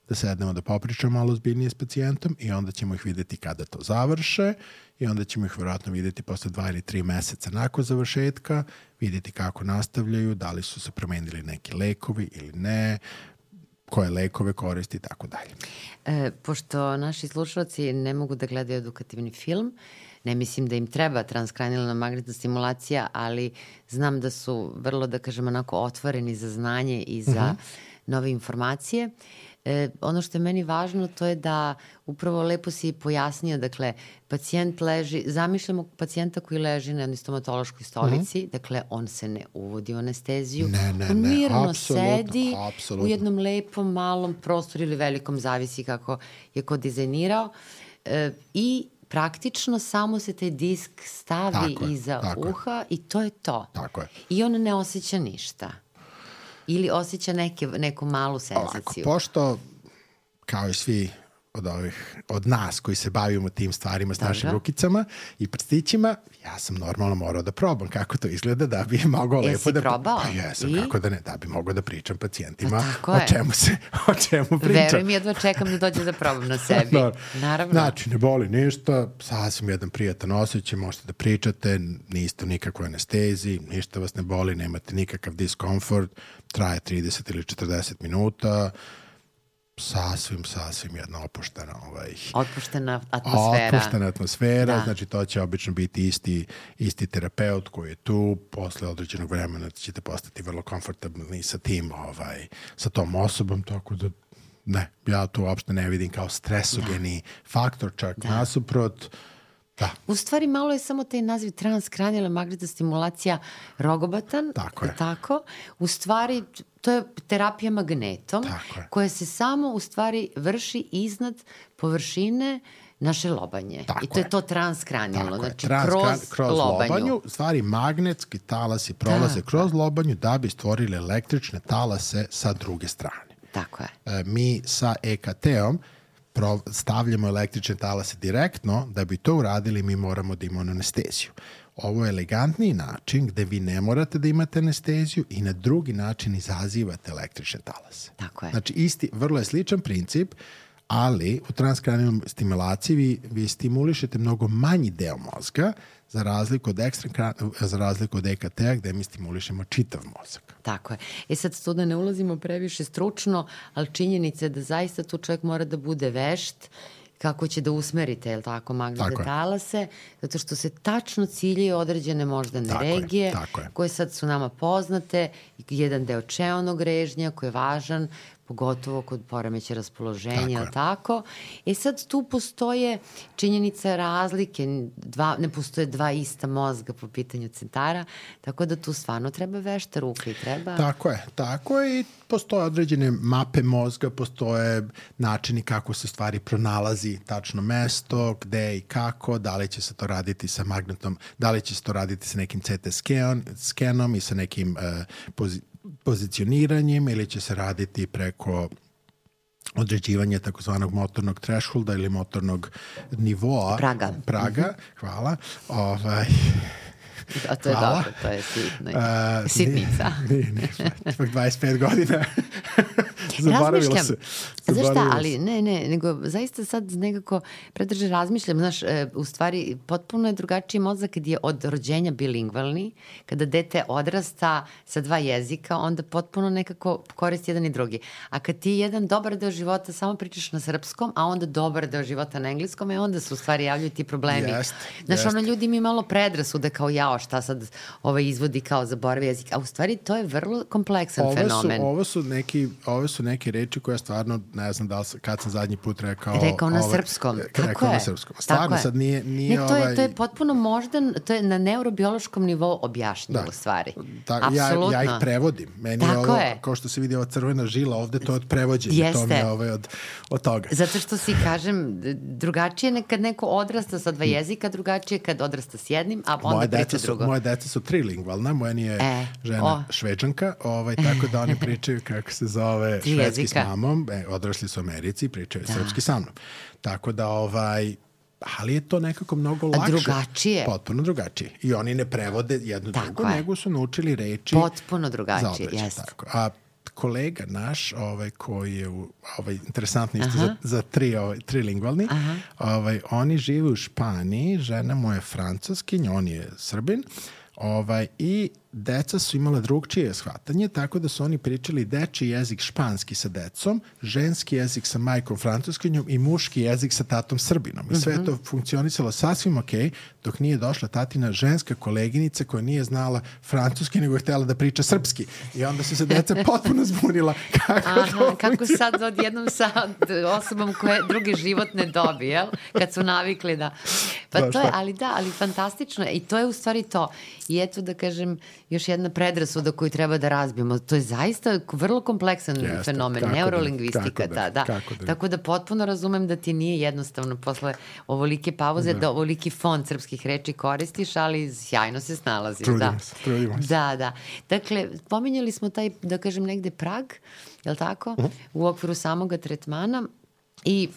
da sednemo da popričamo malo zbiljnije s pacijentom i onda ćemo ih videti kada to završe i onda ćemo ih vjerojatno videti posle dva ili tri meseca nakon završetka, videti kako nastavljaju, da li su se promenili neki lekovi ili ne, koje lekove koristi i tako dalje. E, pošto naši slušalci ne mogu da gledaju edukativni film, ne mislim da im treba transkranijalna magnetna stimulacija, ali znam da su vrlo, da kažem, onako otvoreni za znanje i za uh-huh. nove informacije. E, ono što je meni važno to je da upravo lepo si pojasnio, dakle, pacijent leži, zamišljamo pacijenta koji leži na jednoj stomatološkoj stolici, mm-hmm. dakle, on se ne uvodi u anesteziju, ne, ne, on mirno ne, apsolutno, sedi apsolutno. u jednom lepom, malom prostoru ili velikom, zavisi kako je ko dizajnirao e, i praktično samo se taj disk stavi tako iza je, uha je. I to je to. Tako je. I on ne osjeća ništa. Ili osjeća neke, neku malu senzaciju. Ovako, pošto, kao i svi od ovih, od nas koji se bavimo tim stvarima s Dobro. našim rukicama i prstićima, ja sam normalno morao da probam kako to izgleda da bi mogao Jesi lepo da... probao? Pa jesam, I? kako da ne, da bi mogao da pričam pacijentima pa o čemu se, o čemu pričam. Veruj mi, jedva čekam da dođe da probam na sebi. no, Naravno. Znači, ne boli ništa, sasvim jedan prijatan osjećaj, možete da pričate, niste u nikakvoj anesteziji, ništa vas ne boli, nemate nikakav diskomfort, traje trideset ili četrdeset minuta, sasvim, sasvim jedna opuštena ovaj, otpuštena atmosfera. Otpuštena atmosfera, da. Znači to će obično biti isti, isti terapeut koji je tu, posle određenog vremena ćete postati vrlo komfortabilni sa tim, ovaj, sa tom osobom, tako da ne, ja to uopšte ne vidim kao stresogeni da. faktor, čak da. nasuprot, Da. U stvari malo je samo taj naziv transkranijalna magnetna stimulacija rogobatan. Tako je. Tako. U stvari to je terapija magnetom koja se samo u stvari vrši iznad površine naše lobanje. Tako I to je, je to transkranijalno, znači Transkran, kroz, kroz lobanju. lobanju. Stvari magnetski talasi prolaze tako kroz lobanju da bi stvorili električne talase sa druge strane. Tako je. E, mi sa E K T-om stavljamo električne talase direktno, da bi to uradili mi moramo da imamo anesteziju. Ovo je elegantniji način gde vi ne morate da imate anesteziju i na drugi način izazivate električne talase. Tako je. Znači, isti, vrlo je sličan princip, ali u transkranijalnoj stimulaciji vi, vi stimulišete mnogo manji deo mozga za razliku od ekstra, za razliku od E K T-a gde mi stimulišemo čitav mozak. Tako je. E sad tu da ne ulazimo previše stručno, ali činjenica je da zaista tu čovjek mora da bude vešt kako će da usmerite, jel tako, magnetne talase, zato što se tačno ciljaju određene moždane tako regije, je, tako je. koje sad su nama poznate, jedan deo čeonog režnja koji je važan, pogotovo kod poremeća raspoloženja, tako, tako. E sad tu postoje činjenica razlike, dva, ne postoje dva ista mozga po pitanju centara, tako da tu stvarno treba vešta ruke i treba... Tako je, tako je i postoje određene mape mozga, postoje načini kako se stvari pronalazi tačno mesto, gde i kako, da li će se to raditi sa magnetnom, da li će se to raditi sa nekim C T skenom, skenom i sa nekim uh, pozi pozicioniranjem ili će se raditi preko određivanja takozvanog motornog thresholda ili motornog nivoa. Praga. Praga, mm-hmm. hvala. Ovaj... A to je hvala. dobro, to je sitno. Uh, Sitnica. Nije, nije, ipak dvadeset pet godina. Zaboravila se. Znaš šta, ali ne, ne, nego zaista sad nekako predrže razmišljam, znaš, e, u stvari potpuno je drugačiji mozak kad je od rođenja bilingvalni, kada dete odrasta sa dva jezika, onda potpuno nekako koristi jedan i drugi. A kad ti jedan dobar deo života samo pričaš na srpskom, a onda dobar deo života na engleskom, e onda se u stvari javljaju ti problemi. Jest, znaš, jest. ono, ljudi mi malo predrasude kao jao, šta sad ovaj izvodi kao zaboravi jezik, a u stvari to je vrlo kompleksan ovo fenomen. Su, ovo su neki, ovo su neke reči koje stvarno, ne znam da li, kad sam zadnji put rekao... Rekao na ovaj, srpskom, rekao tako na je. srpskom. Stvarno sad nije... nije ne, to je, ovaj... to je potpuno moždan, to je na neurobiološkom nivou objašnjeno u stvari. Da, ja, ja ih prevodim. Meni tako je ovo, je. kao što se vidi ova crvena žila ovde, to je od prevođenja. Jeste. To mi je ovaj od, od toga. Zato što si, kažem, drugačije kad neko odrasta sa dva jezika, drugačije kad odrasta s jednim, a onda moje priča su, drugo. Moje deca su trilingvalna, moja nije e, žena o. šveđanka, ovaj, tako da oni pričaju kako se zove Tri švedski jezika. s mamom, e, odrasli su u Americi, pričaju da. srpski sa mnom. Tako da, ovaj, ali je to nekako mnogo lakše. A drugačije. Potpuno drugačije. I oni ne prevode jedno tako drugo, je. nego su naučili reči potpuno drugačije, jeste. A kolega naš, ovaj, koji je u, ovaj, interesantno isto za, za tri, ovaj, trilingvalni, ovaj, oni žive u Španiji, žena mu je francuskinja, on je Srbin, ovaj, i deca su imala drugčije shvatanje, tako da su oni pričali dečiji jezik španski sa decom, ženski jezik sa majkom francuskinjom i muški jezik sa tatom Srbinom. I sve to funkcionisalo sasvim ok, dok nije došla tatina ženska koleginica koja nije znala francuski, nego je htjela da priča srpski. I onda su se deca potpuno zbunila kako Aha, to kako sad odjednom sa osobom koje drugi život ne dobi, jel? Kad su navikli da... Pa da, to je, ali da, ali fantastično je. I to je u stvari to. I eto da kažem, još jedna predrasuda koju treba da razbijemo. To je zaista vrlo kompleksan Jeste, fenomen, kako neurolingvistika. da, ta, da. kako da. Tako da potpuno razumem da ti nije jednostavno posle ovolike pauze da, da ovoliki fond srpskih reči koristiš, ali sjajno se snalaziš. Trudimo da. se, trudimo se. Da, da. Dakle, pominjali smo taj, da kažem, negde prag, je li tako, uh-huh. u okviru samoga tretmana i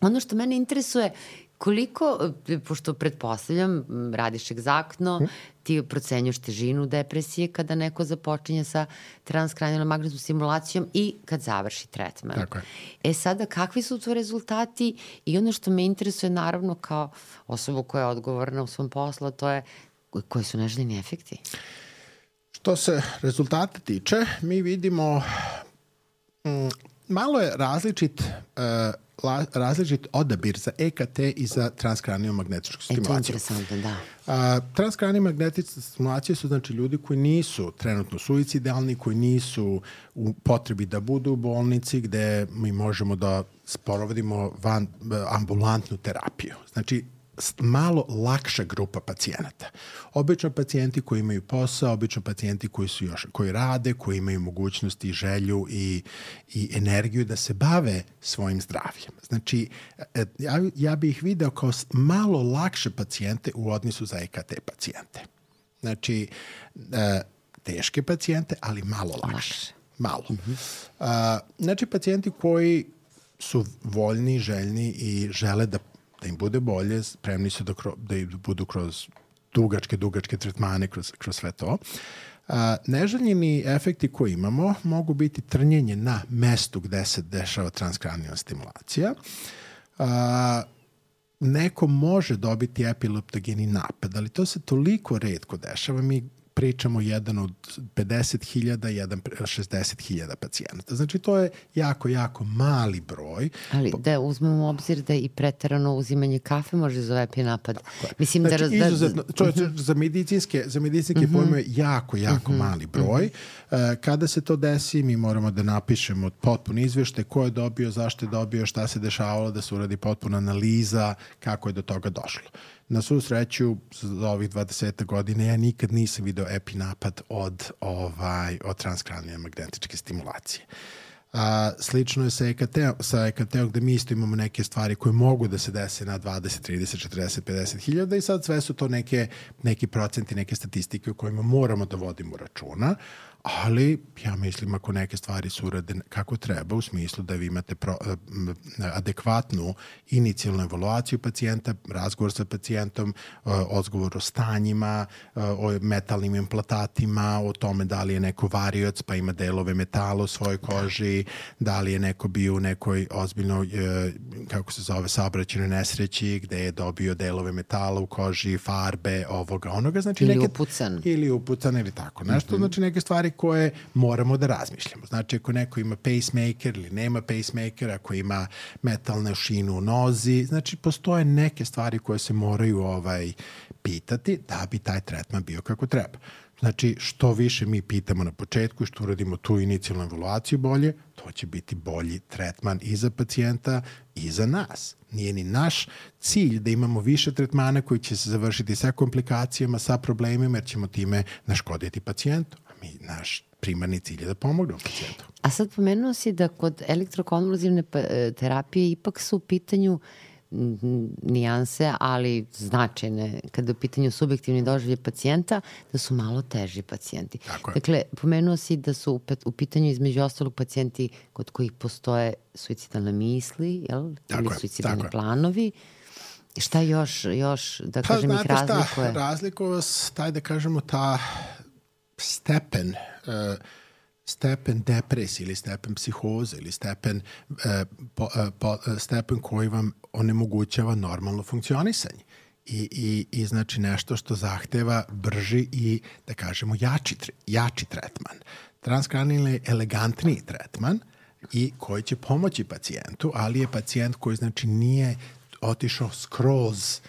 ono što mene interesuje, koliko, pošto pretpostavljam, radiš egzaktno, hmm. ti procenjuš težinu depresije kada neko započinje sa transkranijalnom magnetnom stimulacijom i kad završi tretman. Tako je. E sada, kakvi su to rezultati i ono što me interesuje naravno kao osobu koja je odgovorna u svom poslu, to je koji su neželjeni efekti? Što se rezultata tiče, mi vidimo mm, malo je različit uh, La, različit odabir za E K T i za transkranijalnu magnetičku stimulaciju. E, to je interesantno, da. A, transkranijalne magnetičke stimulacije su znači ljudi koji nisu trenutno suicidalni, koji nisu u potrebi da budu u bolnici, gde mi možemo da sprovodimo van ambulantnu terapiju. Znači, malo lakša grupa pacijenata. Obično pacijenti koji imaju posao, obično pacijenti koji su još, koji rade, koji imaju mogućnosti i želju i, i energiju da se bave svojim zdravljem. Znači, ja, ja bih ih video kao malo lakše pacijente u odnosu za E K T pacijente. Znači, teške pacijente, ali malo lakše. Malo. Mm-hmm. Znači, pacijenti koji su voljni, željni i žele da da im bude bolje, spremni su da, kro, da budu kroz dugačke, dugačke tretmane, kroz, kroz sve to. A, neželjeni efekti koje imamo mogu biti trnjenje na mestu gde se dešava transkranijalna stimulacija. A, neko može dobiti epileptogeni napad, ali to se toliko retko dešava. Mi pričamo jedan od pedeset hiljada, jedan šezdeset hiljada pacijenata. Znači, to je jako, jako mali broj. Ali da uzmemo u obzir da i preterano uzimanje kafe može izazvati napad. Mislim znači, da... Raz... izuzetno, to je uh-huh. za medicinske, za medicinske uh-huh. pojme jako, jako uh-huh. mali broj. Uh-huh. Kada se to desi, mi moramo da napišemo potpun izveštaj ko je dobio, zašto je dobio, šta se dešavalo, da se uradi potpuna analiza, kako je do toga došlo. Na svu sreću, za ovih dvadeset godina ja nikad nisam video epinapad od, ovaj, od transkranijalne magnetičke stimulacije. A, slično je sa E K T-om, sa E K T-om gde mi isto imamo neke stvari koje mogu da se dese na dvadeset, trideset, četrdeset, pedeset hiljada i sad sve su to neke, neki procenti, neke statistike u kojima moramo da vodimo računa, ali ja mislim ako neke stvari su urade kako treba, u smislu da vi imate pro, adekvatnu inicijalnu evaluaciju pacijenta, razgovor sa pacijentom, odgovor o stanjima, o metalnim implantatima, o tome da li je neko varioc pa ima delove metala u svojoj koži, da li je neko bio u nekoj ozbiljnoj, kako se zove, saobraćajnoj nesreći gde je dobio delove metala u koži, farbe, ovoga, onoga. Znači, ili neke, upucan. Ili upucan ili tako. Nešto, mm-hmm. znači neke stvari koje moramo da razmišljamo. Znači, ako neko ima pacemaker ili nema pacemaker, ako ima metalnu šinu u nozi, znači, postoje neke stvari koje se moraju ovaj, pitati da bi taj tretman bio kako treba. Znači, što više mi pitamo na početku i što uradimo tu inicijalnu evaluaciju bolje, to će biti bolji tretman i za pacijenta i za nas. Nije ni naš cilj da imamo više tretmana koji će se završiti sa komplikacijama, sa problemima, jer ćemo time naškoditi pacijentu. A mi, naš primarni cilj je da pomognemo pacijentu. A sad pomenuo si da kod elektrokonvulzivne terapije ipak su u pitanju nijanse, ali značajne kada je u pitanju subjektivni doživljaj pacijenta, da su malo teži pacijenti. Dakle, pomenuo si da su u pitanju između ostalog pacijenti kod kojih postoje suicidalne misli, jel? Ili suicidalni planovi. Šta još, još da kažem, pa, ih razlikuje? Šta, razlikuje taj, da kažemo, ta stepen uh, stepen depresije ili stepen psihoze ili stepen, eh, po, eh, po, stepen koji vam onemogućava normalno funkcionisanje. I, i, i znači nešto što zahteva brži i, da kažemo, jači, jači tretman. Transkranijalni je elegantniji tretman i koji će pomoći pacijentu, ali je pacijent koji, znači, nije otišao skroz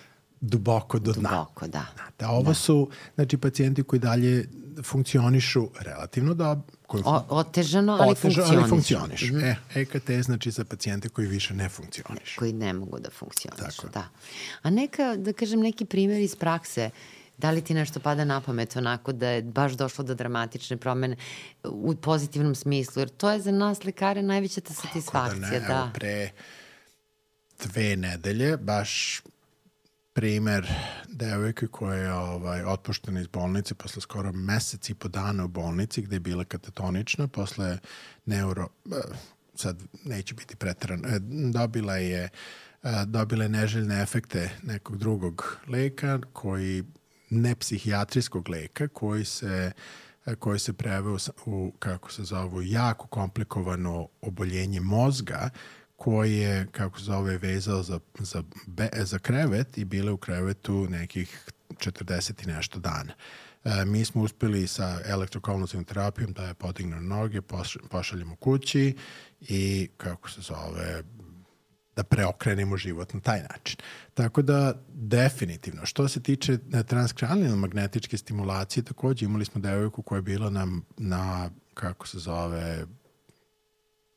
duboko do dna. Duboko, da. Da, ovo da. su, znači, pacijenti koji dalje funkcionišu relativno dobro. O, otežano, ali otežano, ali funkcionišu. Mm-hmm. E, E K T znači za pacijente koji više ne funkcionišu. Koji ne mogu da funkcionišu, da. A neka, da kažem, neki primjer iz prakse, da li ti nešto pada na pamet onako da je baš došlo do dramatične promene u pozitivnom smislu, jer to je za nas lekare najveća ta satisfakcija. Da ne, da. Evo pre dve nedelje, baš primer devojke koja je ovaj, otpuštena iz bolnice posle skoro mesec i po dana u bolnici gde je bila katatonična, posle neuro, sad neće biti preterano, dobila je, dobila je neželjne efekte nekog drugog leka, koji, ne psihijatrijskog leka, koji se, koji se preveo u, kako se zove, jako komplikovano oboljenje mozga, koji je, kako se zove, vezao za, za, be, za krevet i bile u krevetu nekih četrdeset i nešto dana. E, mi smo uspeli sa elektrokonvulzivnom terapijom da je podigne na noge, poš, pošaljemo kući i, kako se zove, da preokrenemo život na taj način. Tako da, definitivno, što se tiče transkranijalne magnetičke stimulacije, takođe imali smo devojku koja je bila na, na kako se zove,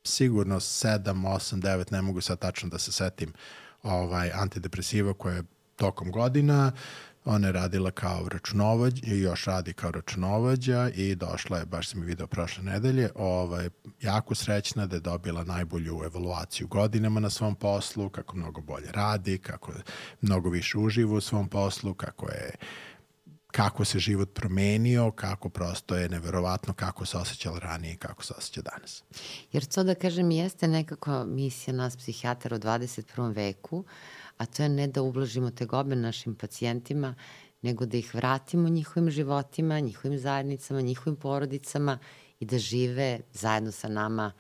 sigurno sedam, osam, devet, ne mogu sad tačno da se setim, ovaj, antidepresiva koja je tokom godina. Ona je radila kao računovođa i još radi kao računovođa i došla je, baš sam je video prošle nedelje, ovaj, jako srećna da je dobila najbolju evaluaciju godinama na svom poslu, kako mnogo bolje radi, kako mnogo više uživa u svom poslu, kako je kako se život promenio, kako prosto je neverovatno kako se osjećala ranije i kako se osjeća danas. Jer to da kažem jeste nekako misija nas psihijatara u dvadeset prvom veku, a to je ne da ublažimo tegobe našim pacijentima, nego da ih vratimo njihovim životima, njihovim zajednicama, njihovim porodicama i da žive zajedno sa nama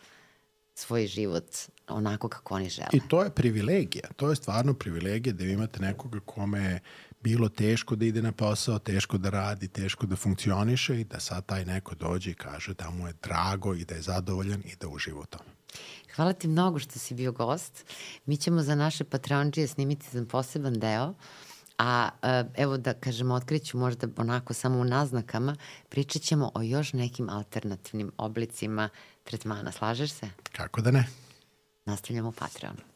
svoj život onako kako oni žele. I to je privilegija. To je stvarno privilegija da vi imate nekoga kome je bilo teško da ide na posao, teško da radi, teško da funkcioniše i da sad taj neko dođe i kaže da mu je drago i da je zadovoljan i da uživa u tome. Hvala ti mnogo što si bio gost. Mi ćemo za naše Patreonđije snimiti za poseban deo, a evo da kažemo, otkriću možda onako samo u naznakama, pričat ćemo o još nekim alternativnim oblicima tretmana. Slažeš se? Kako da ne? Nastavljamo u Patreonu.